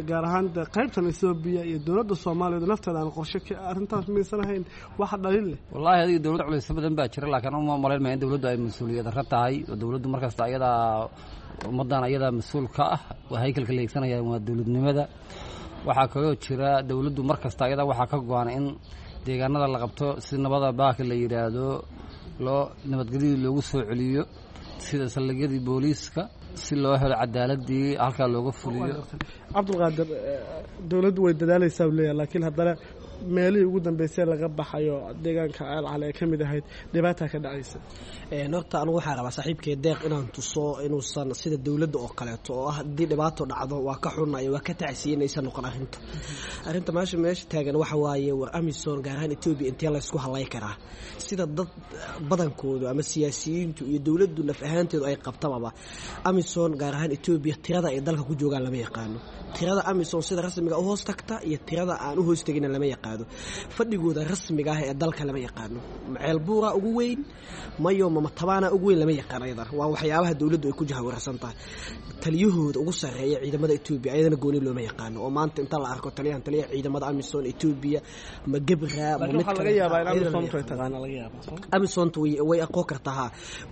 gaar ahaan qaybtan Etoobiya iyo dowladda Soomaaliya nafteeda aan qorshe arrintaas maysan ahayn waxa dhalin leh. Wallaahi adiga dowladda culaysyo badan baa jira, laakiin uma malayn maya in dowladdu ay mas-uuliyad darro tahay. Oo dowladdu mar kasta ayadaa ummaddan ayadaa mas-uul ka ah, waa haykalka la eegsanaya waa dowladnimada. Waxaa kaloo jira dowladdu mar kasta ayadaa waxaa ka go-an in deegaanada la qabto si nabada baaka la yidhaahdo loo nabadgelyadii loogu soo celiyo, sida saldhigyadii booliiska, si loo helo cadaaladii halkaa looga fuliyo. Cabdulqaadir, dowladdu way dadaalaysaa u leeyahay, laakiin haddana meelihii ugu dambeysay laga baxayo deegaanka Ceel Cali ay ka mid ahayd dhibaataa ka dhacaysa. Horta anugu waxaan rabaa saaxiibkay Deeq inaan tuso inuusan sida dowladda oo kaleeto oo ah haddii dhibaato dhacdo waa ka xunay, waa ka tacsiye, inaysan noqon arrinta. Arrinta meesha taagan waxa waaye, war AMISOM gaar ahaan Etoobiya intee laysku halay karaa? Sida dad badankoodu ama siyaasiyiintu iyo dowladdu naf ahaanteedu ay qabtababa, AMISOM gaar ahaan Etoobiya tirada ay dalka ku joogaan lama yaqaano. Tirada AMISOM sida rasmiga u hoos tagta iyo tirada aan u hoos tegina lama yaqaano. Fadhigooda rasmiga ah ee dalka lama yaqaano. Ceelbuura ugu weyn mayo mamatabaana ugu weyn lama yaqaano. Ayadana waa waxyaabaha dowladdu ay ku jahawarsan tahay. Taliyahooda ugu sarreeya ciidamada Etoobiya ayadana gooni looma yaqaano, oo maanta inta la arko taliyahan taliyaha ciidamada AMISOM Etoobiya ma Gebra ma mid kale laga yaabaa in AMISOM ay taqaana laga yaabaa. AMISOM way aqoon kartaa ha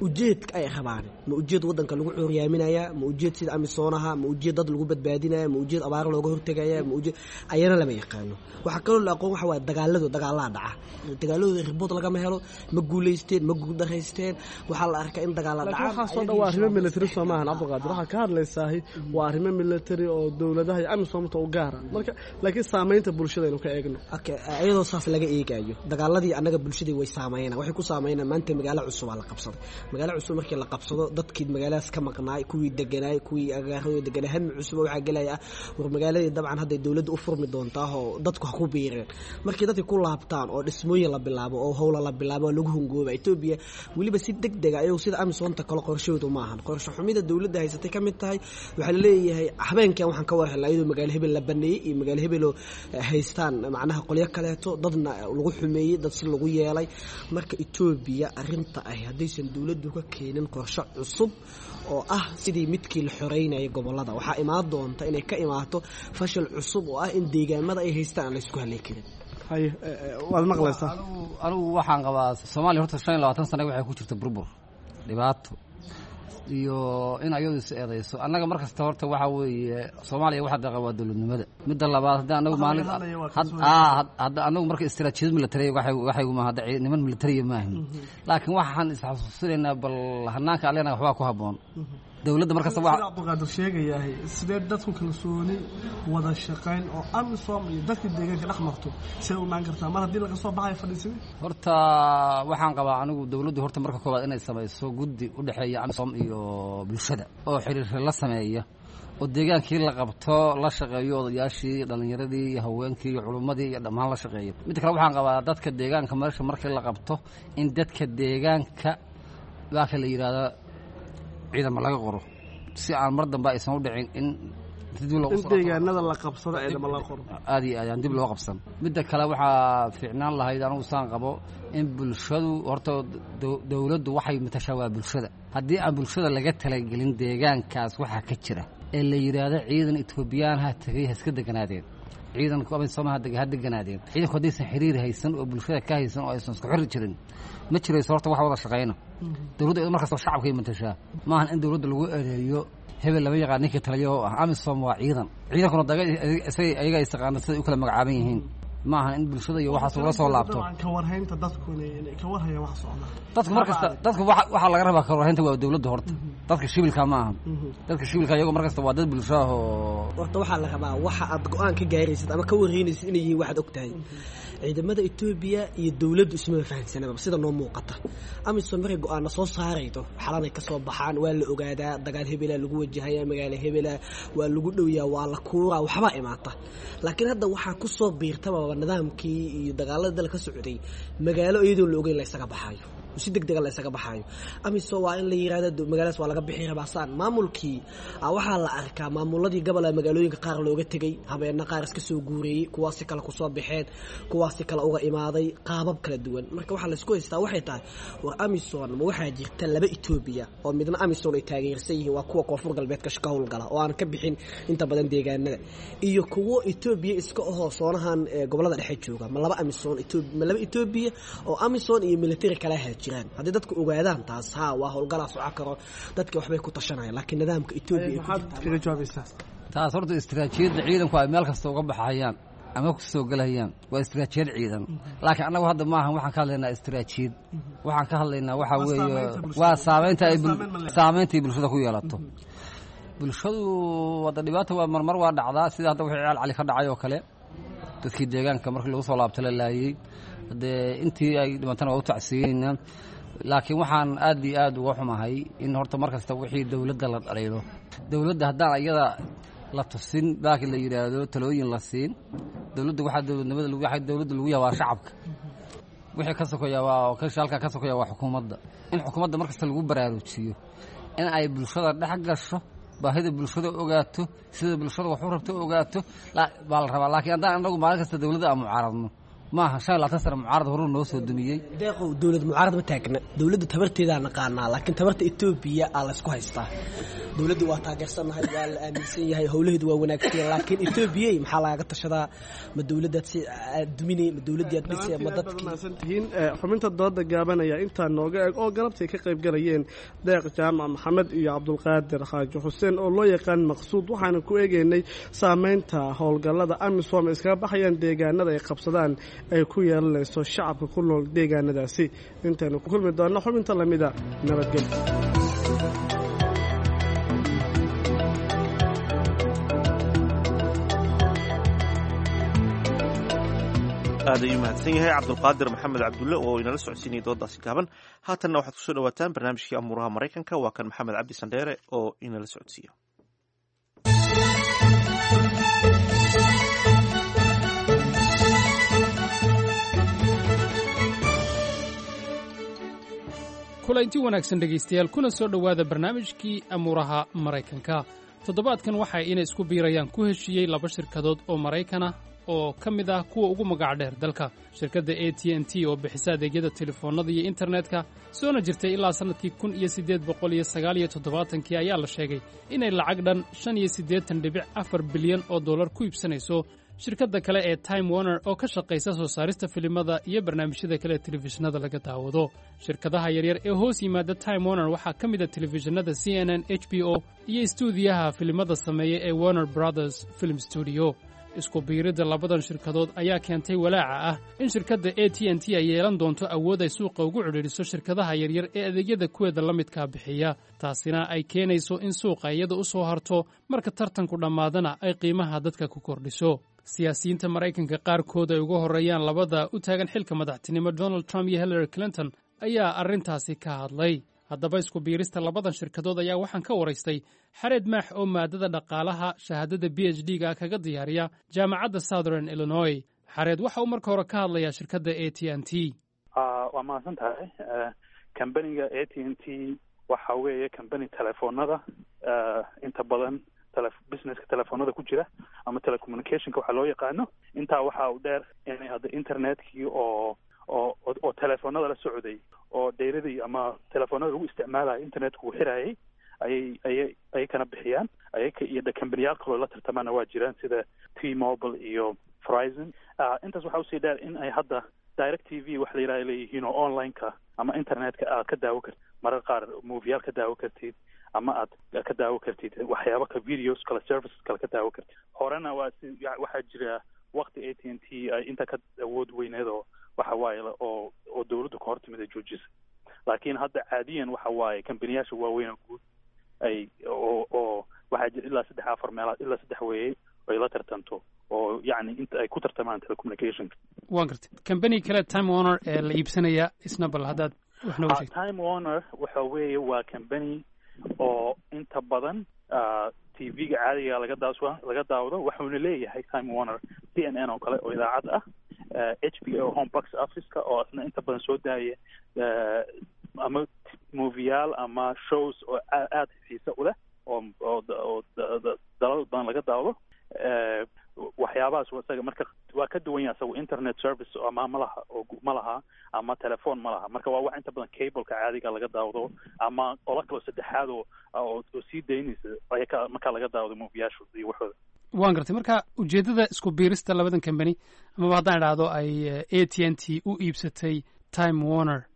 ujeedka ay rabaan, ma ujeed wadanka lagu cuuriyaaminaya, ma ujeed sida AMISOM aha, ma ujeed dad lagu badbaadinaya, ma ujeed abaar looga hortagaya, ma ujeed ayana lama yaqaano. Waxa kaloo la aqoon waxa waa dagaaladu, dagaalada dhaca, dagaaladooda ribood lagama helo, ma guulaysteen ma guuldareysteen. Waxaa la arkaa in dagaala dhacaan. Waxaasoo dhan waa arrimo military soo maahan Cabdulqaadir? Waxaa ka hadlaysaahi waa arrimo military oo dowladaha iyo AMISOMta u gaara marka, laakiin saamaynta bulshada aynu ka eegno. Okay, iyadoo saas laga eegayo dagaaladii annaga bulshadii way saameynaa, waxay ku saameynaa maanta magaalo cusub aa la qabsaday. Magaalo cusub markii la qabsado dadkii magaaladaas ka maqnaay, kuwii deganaay, kuwii agaaradooda deganaa, hami cusub waxaa gelaya ah war magaaladii dabcan hadday dowladda u furmi doontaa oo dadku ha ku biireen. Markii dadki ku laabtaan oo dhismooyin la bilaabo oo howla la bilaabo oo lagu hungooba Etoobiya weliba si deg dega ayagu sida AMISOMta kale qorshahoodu maahan. Qorshe xumida dowladda haysatay ka mid tahay waxaa laleeyahay habeenkan waxaan ka war helnaa iyadoo magaalo hebel la baneeyey iyo magaalo hebeloo haystaan macnaha qolyo kaleeto, dadna lagu xumeeyey, dad si lagu yeelay. Marka Etoobiya arrinta ah haddaysan dowladdu ka keenin qorshe cusub oo ah sidii midkii la xoreynayay gobollada, waxaa imaan doonta inay ka imaato fashil cusub oo ah in deegaamada ay haystaan aan laysku halay karin. Waad maqlaysaa. Anigu waxaan qabaa Soomaaliya horta 25 sana waxay ku jirta burbur, dhibaato iyo in ayadu is eedayso. Annaga mar kasta horta waxaa weeye Soomaaliya waxa daqa waa dowladnimada. Midda labaad, hadda anagu maalin hadda anagu marka istiraatiijiyad military waxayguma hadda niman militariya maahin, laakiin waxaan isxasuusinaynaa bal hanaanka alena waxbaa ku habboon dowladda mar kasta. Waa Cabdulqaadir sheegayahay, sidee dadku kalsooni wada shaqayn oo AMISOM iyo dadka deegaanka dhex marto see u imaan kartaa mar haddii laga soo baxayo fadhiisimi? Horta waxaan qabaa anigu dowladdu horta marka koowaad inay samayso guddi u dhexeeya AMISOM iyo bulshada oo xiriir la sameeya, oo deegaankii la qabto la shaqeeyo odayaashii, dhallinyaradii iyo haweenkii iyo culummadii iyo dhammaan la shaqeeyo. Midda kale waxaan qabaa dadka deegaanka meesha markii la qabto in dadka deegaanka baaka la yidhaahdo ciidama laga qoro, si aan mar dambe aysan u dhicin in in deegaanada la qabsado ciidama la qoro. Aad iyo aad aan dib loo qabsan. Midda kale waxaa fiicnaan lahayd anigu saan qabo in bulshadu horta dowladdu waxay matashaa waa bulshada. Haddii aan bulshada laga talagelin deegaankaas waxaa ka jira ee la yidhaahdo ciidan Etoobiyaan ha tegay ha iska deganaadeen, ciidanku AMISOM ha deganaadeen, ciidanku haddaysan xiriir haysan oo bulshada ka haysan oo aysan isku xiri jirin ma jirayso horta wax wada shaqayna. Dowladda iyadu markasta shacabkay matashaa, maahan in dowladda lagu eedeeyo hebel lama yaqaan ninkii taliya oo ah. AMISOM waa ciidan, ciidankuna ayaga is taqaana siday u kala magacaaban yihiin, maahan in bulshada iyo waxaas ula soo laabto. Ka warhaynta dadku inay ka warhayaan wax socda. Dadku mar kasta dadku waxaa laga rabaa ka warhaynta waa dowladda horta, dadka shibilka ma aha. Dadka shibilka iyago mar kasta waa dad bulsho ah oo horta waxaa la rabaa waxa aad go-aan ka gaaraysid ama ka warhaynaysid inay yihiin waxaad og tahay. Ciidamada Etoobiya iyo dowladdu ismaba fahansanaba sida noo muuqata. AMISOM markay go-aana soo saaraydo xalanay ka soo baxaan, waa la ogaadaa dagaal hebela lagu wajahaya, magaalo hebela waa lagu dhowyaa, waa la kuuraa, waxbaa imaata. Laakiin hadda waxaa ku soo biirtababa nidaamkii iyo dagaalada dalka ka socday magaalo iyadoon la ogeyn la isaga baxayo. Si deg dega la isaga baxaayo. Amisom waa in la yirahdo magaaladaas waa laga bixi rabaa saan maamulkii. Waxaa la arkaa maamuladii gobolka magaalooyinka qaar looga tegay, habeena qaar iska soo guureeyey, kuwaasi kale kusoo baxeen, kuwaasi kale uga imaaday qaabab kala duwan. Marka waxaa laisku haystaa waxay tahay, war Amison ma waxaa jirta laba Etoobiya oo midna Amison ay taageersan yihiin, waa kuwa Koonfur Galbeedka ka howlgala oo aan ka bixin inta badan deegaanada, iyo kuwo Etoobiya iska ahoo soonahan gobolada dhexe jooga? Ma laba Amison, ma laba Etoobiya oo Amison iyo military kala jiraan? Haddii dadku ogaadaan taas, ha waa howlgalaa soco karo, dadka waxbay ku tashanayaan, laakiin nidaamka Etoobiya Maxaad kaga jawaabaysaa taas? Horta istiraatiijiyadda ciidanku ay meel kasta uga baxayaan ama ku soo gelayaan waa istiraatiijiyad ciidan, laakiin annagu hadda maahan waxaan ka hadlaynaa istiraatiijiyad. Waxaan ka hadlaynaa waxaa weeye waa saameynta ay saameynta ay bulshada ku yeelato. Bulshadu hadda dhibaata waa marmar waa dhacdaa, sida hadda wixii Ceel Cali ka dhacay oo kale, dadkii deegaanka markii lagu soo laabta la laayey. Dee intii ay dhimatana waa u tacsiyeynaa, laakiin waxaan aad iyo aad uga xumahay in horta mar kasta wixii dowladda la dhaliilo, dowladda haddaan iyada la tusin baaki la yidhaahdo talooyin la siin dowladda. Waxaa dowladnimada waxaa dowladda lagu yahay waa shacabka, wixii ka sokoya waa halkaa ka sokoya waa xukuumadda. In xukuumadda mar kasta lagu baraarujiyo in ay bulshada dhex gasho, baahida bulshada ogaato, sida bulshada wax u rabto ogaato baa la rabaa. Laakiin haddaan anagu maalin kasta dowladda aan mucaaradno, maaha 25 sano mucaarad horuu noo soo dumiyey. Deeqow, dowlad mucaarad ma taagna, dowladda tabarteedaa naqaanaa, laakiin tabarta Etoobiya aa laysku haystaa. Dowladdu waa taageersannahay, waa la aaminsan yahay, howlaheedu waa wanaagsan, laakiin Etoobiyey maxaa lagaga tashadaa? Ma dowladdaad si aad duminay, ma dowladdii aad dhisay, ma dadkii? Mahadsantihiin. Xubinta dooda gaabanaya intaa nooga eg oo galabtay ka qayb galayeen Deeq Jaamac Maxamed iyo Cabdulqaadir Xaaji Xuseen oo loo yaqaan Maqsuud. Waxaana ku eegeynay saameynta howlgallada Amisom ay iskaga baxayaan deegaanada ay qabsadaan ay ku yeelanayso shacabka ku nool deegaanadaasi. Intaynu ku kulmi doonno xubinta lamida, nabadgelyo. Aad ayuu mahadsan yahay Cabdulqaadir Maxamed Cabdulle oo inala socodsiinayay doodaasi gaaban. Haatanna waxaad kusoo dhawaataan barnaamijkii amuuraha Maraykanka. Waa kan Maxamed Cabdi Sandheere oo inala socodsiiya. Kulaynti wanaagsan dhegaystayaal, kuna soo dhowaada barnaamijkii amuuraha Maraykanka. Toddobaadkan waxay inay isku biirayaan ku heshiiyey laba shirkadood oo Maraykan ah oo ka mid ah kuwa ugu magac dheer dalka: shirkadda AT&T oo bixisa adeegyada telefoonnada iyo internetka, soona jirtay ilaa sannadkii 1879-kii, ayaa la sheegay inay lacag dhan 85.4 bilyan oo dollar ku iibsanayso shirkadda kale ee Time Warner oo ka shaqaysa soo saarista filimada iyo barnaamijyada kale ee telefishinada laga daawado. Shirkadaha yaryar ee hoos yimaada Time Warner waxaa ka mid a telefishinada CNN, HBO iyo istuudiyaha filimada sameeya ee Warner Brothers Film Studio. Isku biiridda labadan shirkadood ayaa keentay walaaca ah in shirkadda AT&T ay yeelan doonto awood ay suuqa ugu cidhiidhiso shirkadaha yaryar ee adeegyada kuweeda la midkaa bixiya, taasina ay keenayso in suuqa iyada u soo harto, marka tartanku dhammaadana ay qiimaha dadka ku kordhiso. Siyaasiyiinta Maraykanka qaarkood ay uga horreeyaan labada u taagan xilka madaxtinimo, Donald Trump iyo Hillary Clinton, ayaa arrintaasi ka hadlay. Haddaba isku biirista labadan shirkadood ayaa waxaan ka waraystay Xareed Maax oo maadada dhaqaalaha shahaadada PhD-ga kaga diyaariya Jaamacadda Southern Illinois. Xareed waxa uu marka hore ka hadlayaa shirkadda AT&T. Waa mahadsan tahay. Kambaniga AT&T waxa weeye kambani telefoonada, inta badan businesska telefoonada ku jira ama telecommunicationka waxaa loo yaqaano. Intaa waxa u dheer inay hadda internetkii oo telefoonada la socday oo dayradii ama telefoonada lagu isticmaalayo internetku uu xirayay ayay kana bixiyaan ayaka iyo kambaniyaal kaloo la tartamaana waa jiraan, sida T Mobile iyo Verizon. Intaas waxaa usii dheer in ay hadda Direct TV wax la yidhaha leeyihiin oo online-ka ama internetka aad ka daawo kartid, marar qaar movieyaal ka daawo kartid ama aad ka daawo kartid waxyaaba ka videos kale, services kale ka daawo kartid. Horena waa si waxaa jira waqti AT&T ay inta ka awood weyneed oo waxa waaye oo dawladdu ka hortimid ay joojisay, laakiin hadda caadiyan waxa waaye kambaniyaasha waaweyn oo guud ay oo waxaa jira ilaa saddex afar meelaad ilaa saddex weeye ay la tartanto oo yacni inta ay ku tartamaan telecommunicationka. Waan gartay. Company kale, Time Warner, ee la iibsanaya isna bal haddaad wax nooga sheegto. Time Warner waxa weeye waa company oo inta badan TV-ga caadiga laga daawado, wuxuuna leeyahay Time Warner CNN oo kale oo idaacad ah. HBO Home Box Office-ka oo asna inta badan soo daaya ama movieyaal ama shows oo aada xiisa u leh oo dalal badan laga daawado. Waxyaabahaas isaga marka waa ka duwan yahay. Isagu internet service ama malaha oo ma laha ama telephone ma laha. Marka waa wax inta badan cableka caadiga laga daawado ama qola kaloo saddexaad oo sii daynaysa ayaa markaa laga daawado movieyaashu iyo waxooda. Waan gartay. Marka ujeeddada isku biirista labadan company, amaba haddaan idhaahdo ay AT&T u iibsatay Time Warner,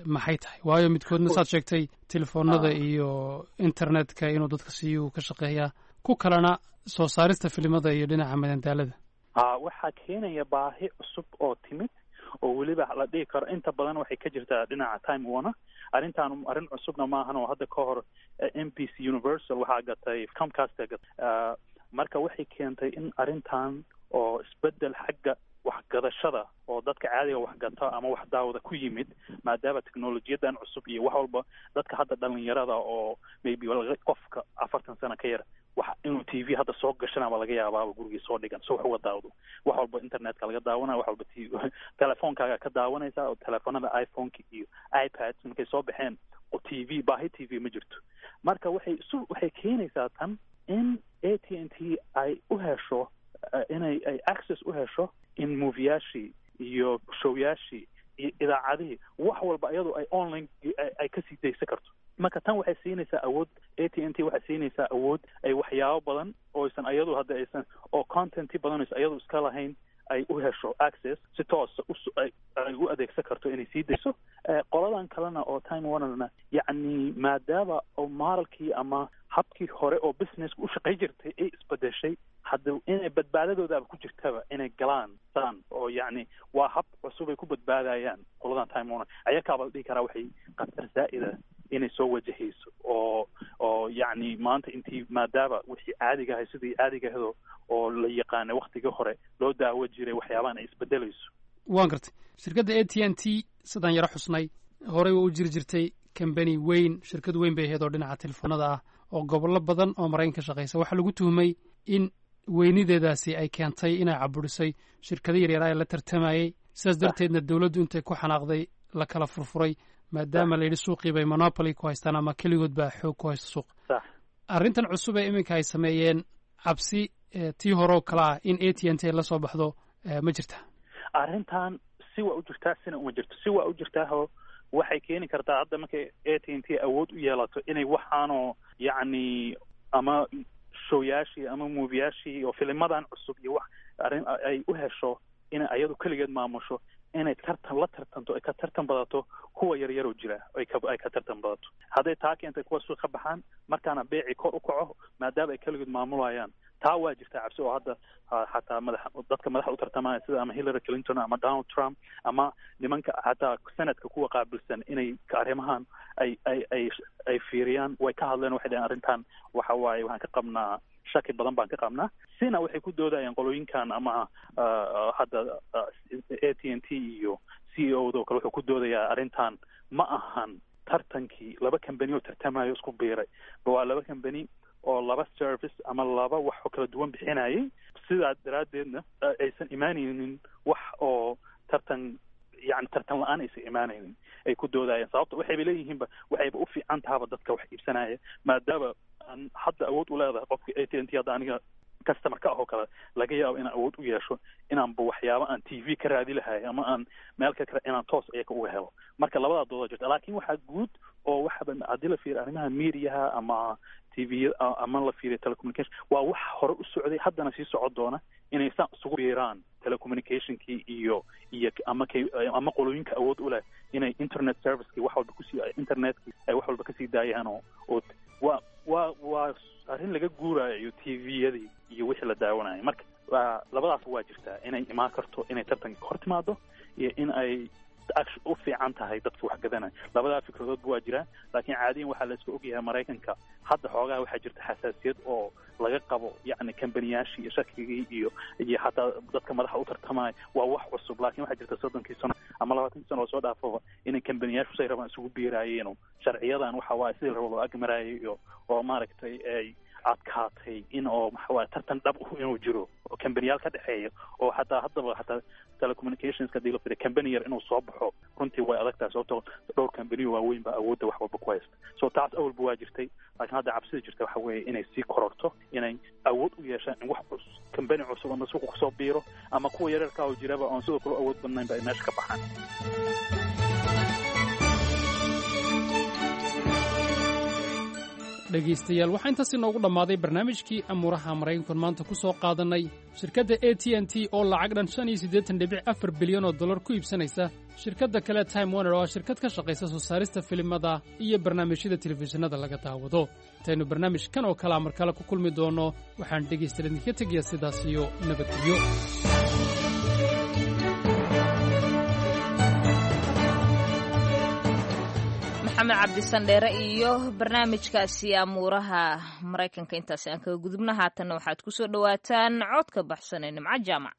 maxay tahay? Waayo midkoodna saad sheegtay telefoonada iyo internetka inuu dadka siiyu ka shaqeeyaa, ku kalena soo saarista filimada iyo dhinaca madandaalada. Waxaa keenaya baahi cusub oo timid oo weliba la dhihi karo inta badan waxay ka jirtaa dhinaca Time Warner. Arrintan arrin cusubna maahan, oo hadda ka hor NBC Universal waxaa gatay Comcast gatay. Marka waxay keentay in arrintan oo isbedel xagga waxgadashada oo dadka caadiga waxgata ama wax daawada ku yimid, maadaama teknolojiyadan cusub iyo wax walba dadka hadda dhalinyarada oo maybe qofka 40 sano ka yar wax inuu TV hadda soo gashanaba laga yaabaaba gurigii soo dhigan so wax uga daawdo. Wax walba internetka laga daawanaya, wax walba telefoonkaaga ka daawanaysa, oo telefoonada iPhoneka iyo iPad markay soo baxeen oo TV baahi TV ma jirto. Marka waxay keenaysaa tan in AT&T ay u hesho inay ay access u hesho in movieyaashii iyo showyaashii iyo idaacadihii, wax walba iyadoo ay online ay kasii daysan karto. Marka tan waxay siinaysaa awood AT&T, waxay siinaysaa awood ay waxyaabo badan oo aysan iyadu hadda aysan oo content badan aysan iyadu iska lahayn ay u hesho access si toosa ay u adeegsan karto inay sii dayso. Qoladan kalena oo Time Warnerna, yacni maadaama oo modelkii ama habkii hore oo businesska u shaqay jirtay ay isbedeshay, hadda inay badbaadadoodaaba ku jirtaba inay galaan saan oo yacni waa hab cusub ay ku badbaadayaan qoladan Time Warner. Ayakaaba la dhihi karaa waxay khatar zaa'ida inay soo wajahayso oo yacni maanta intii maadaama wixii caadiga ahay sidii caadiga ahdo oo la yaqaanay waktigii hore loo daawo jiray waxyaabahan ay isbedelayso. Waan gartay. Shirkadda AT&T sidaan yaro xusnay horey waa u jiri jirtay, company weyn, shirkad weyn bay ahayd oo dhinaca telefoonada ah oo gobollo badan oo Maraykan ka shaqeysa. Waxaa lagu tuhmay in weynideedaasi ay keentay inay caburisay shirkado yaryar ee la tartamayey, sidaas darteedna dowladdu intay ku xanaaqday la kala furfuray, maadaama la yidhi suuqii bay monopoly ku haystaan ama keligood baa xoog ku haysta suuq. Arrintan cusub ee iminka ay sameeyeen, cabsi tii hore oo kale ah in AT&T ay la soo baxdo ma jirta? Arrintan si waa u jirtaa, sina uma jirto. Si waa u jirtaaho waxay keeni kartaa hadda markay AT&T awood u yeelato inay waxaanoo yacni ama showyaashii ama movieyaashii oo filimadan cusub iyo wax arrin ay u hesho inay ayadu keligeed maamusho, inay tartan la tartanto, ay ka tartan badato kuwa yaryaroo jira, ay ka tartan badato. Hadday taa keentay kuwa suuq ka baxaan, markaana beecii kor u kaco maadaama ay keligood maamulayaan. Taa waa jirtaa cabsi oo hadda xataa madax dadka madaxa u tartamaya sida ama Hillary Clinton ama Donald Trump ama nimanka xataa senadka kuwa qaabilsan inay arrimahan ay fiiriyaan way ka hadleen. Waxay dhaheen arrintan waxa waaye waxaan ka qabnaa shaki badan baan ka qabnaa. Sina waxay ku doodayaan qolooyinkan ama hadda AT&T iyo CEO do kale wuxuu ku doodayaa arrintan ma ahan tartankii laba company oo tartamayo isku biiray, waa laba company oo laba service ama laba wax oo kala duwan bixinayay, sidaa daraaddeedna aysan imaanaynin wax oo tartan, yani tartan la-aan aysan imaanaynin ay ku doodayaan. Sababta waxayba leeyihiinba waxayba u fiican tahaba dadka wax iibsanaya, maadaama aan hadda awood u leedahay qofka AT&T hadda aniga customer ka ah oo kale laga yaabo inaan awood u yeesho inaanba waxyaabo aan TV ka raadi lahay ama aan meel ka kale inaan toos iyaga uga helo. Marka labadaa dooda jirta, laakiin waxaa guud oo waxaba haddii la fiiriyo arrimaha mediaha ama TV ama la fiiriyo telecommunication, waa wax hore u socday haddana sii socon doona inay saan isugu biiraan telecommunicationkii iyo ama ama qolooyinka awood u leh inay internet servicekii wax walba kusii internetkii ay wax walba kasii daayaan oo waa arrin laga guuraayo TV-yadii iyo wixii la daawanayo. Marka labadaas waa jirtaa inay imaan karto inay tartanka hor timaado iyo in ay u fiican tahay dadka wax gadanaya. Labadaa fikradoodba waa jiraan, laakiin caadiyan waxaa la iska ogyahay Maraykanka hadda xoogaha waxaa jirta xasaasiyad oo laga qabo yacni kambaniyaashii iyo shakigii iyo xataa dadka madaxa u tartamaya. Waa wax cusub, laakiin waxaa jirta 30kii sano ama 20kii sano oo soo dhaafaba inay kambaniyaashu say rabaan isugu biiraayeen, sharciyadan waxa waaye sidii la rabo loo agmaraayay iyo oo maaragtay ay adkaatay in oo waxa waaye tartan dhab inuu jiro. oo kambaniyaal ka dhexeeya, oo xataa haddaba xataa telecommunicationska hadii la fiiriyo company yar inuu soo baxo runtii way adag tahay, sababtoo dhowr company waaweyn baa awoodda wax walba ku haysta. So taas awalba waa jirtay, laakiin hadda cabsida jirta waxa weeye inay sii kororto, inay awood u yeeshaan in wax cus company cusub ama suuqa kusoo biiro ama kuwa yaryarka oo jiraba oon sidoo kale awood badnayn ba ay meesha ka baxaan. Dhegaystayaal, waxaa intaas inoogu dhammaaday barnaamijkii amuuraha maraykankan maanta ku soo qaadannay shirkadda A T N T oo lacag dhan 85.4 bilyan oo dollar ku iibsanaysa shirkadda kale Time Warner, oo ah shirkad ka shaqaysa soo saarista filimada iyo barnaamijyada telefishinada laga daawado. Intaynu barnaamijkan oo kalea mar kale ku kulmi doonno, waxaan dhegaystayaal idinka tegayaa sidaas iyo nabadgelyo. Maxamed Cabdisandheere iyo barnaamijkaasi amuuraha maraykanka intaasi aan kaga gudubna. Haatanna waxaad ku soo dhowaataan codka baxsan ee Nimco Jaamac.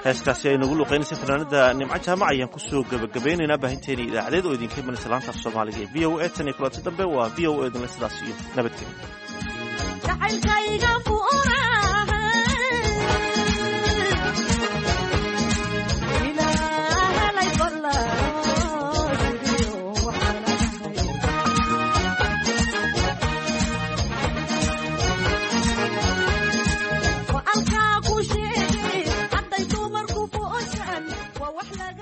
Heestaasi ay nagu luqeynaysa fanaanada Nimco Jaamac ayaan kusoo gebagabeynaynaa baahinteena idaacadeed oo idinka imanaysa laanta af Soomaaliga ee VOA. Tan iyo kulanti dambe, waa VOA idinle sidaas iyo nabadgelyo.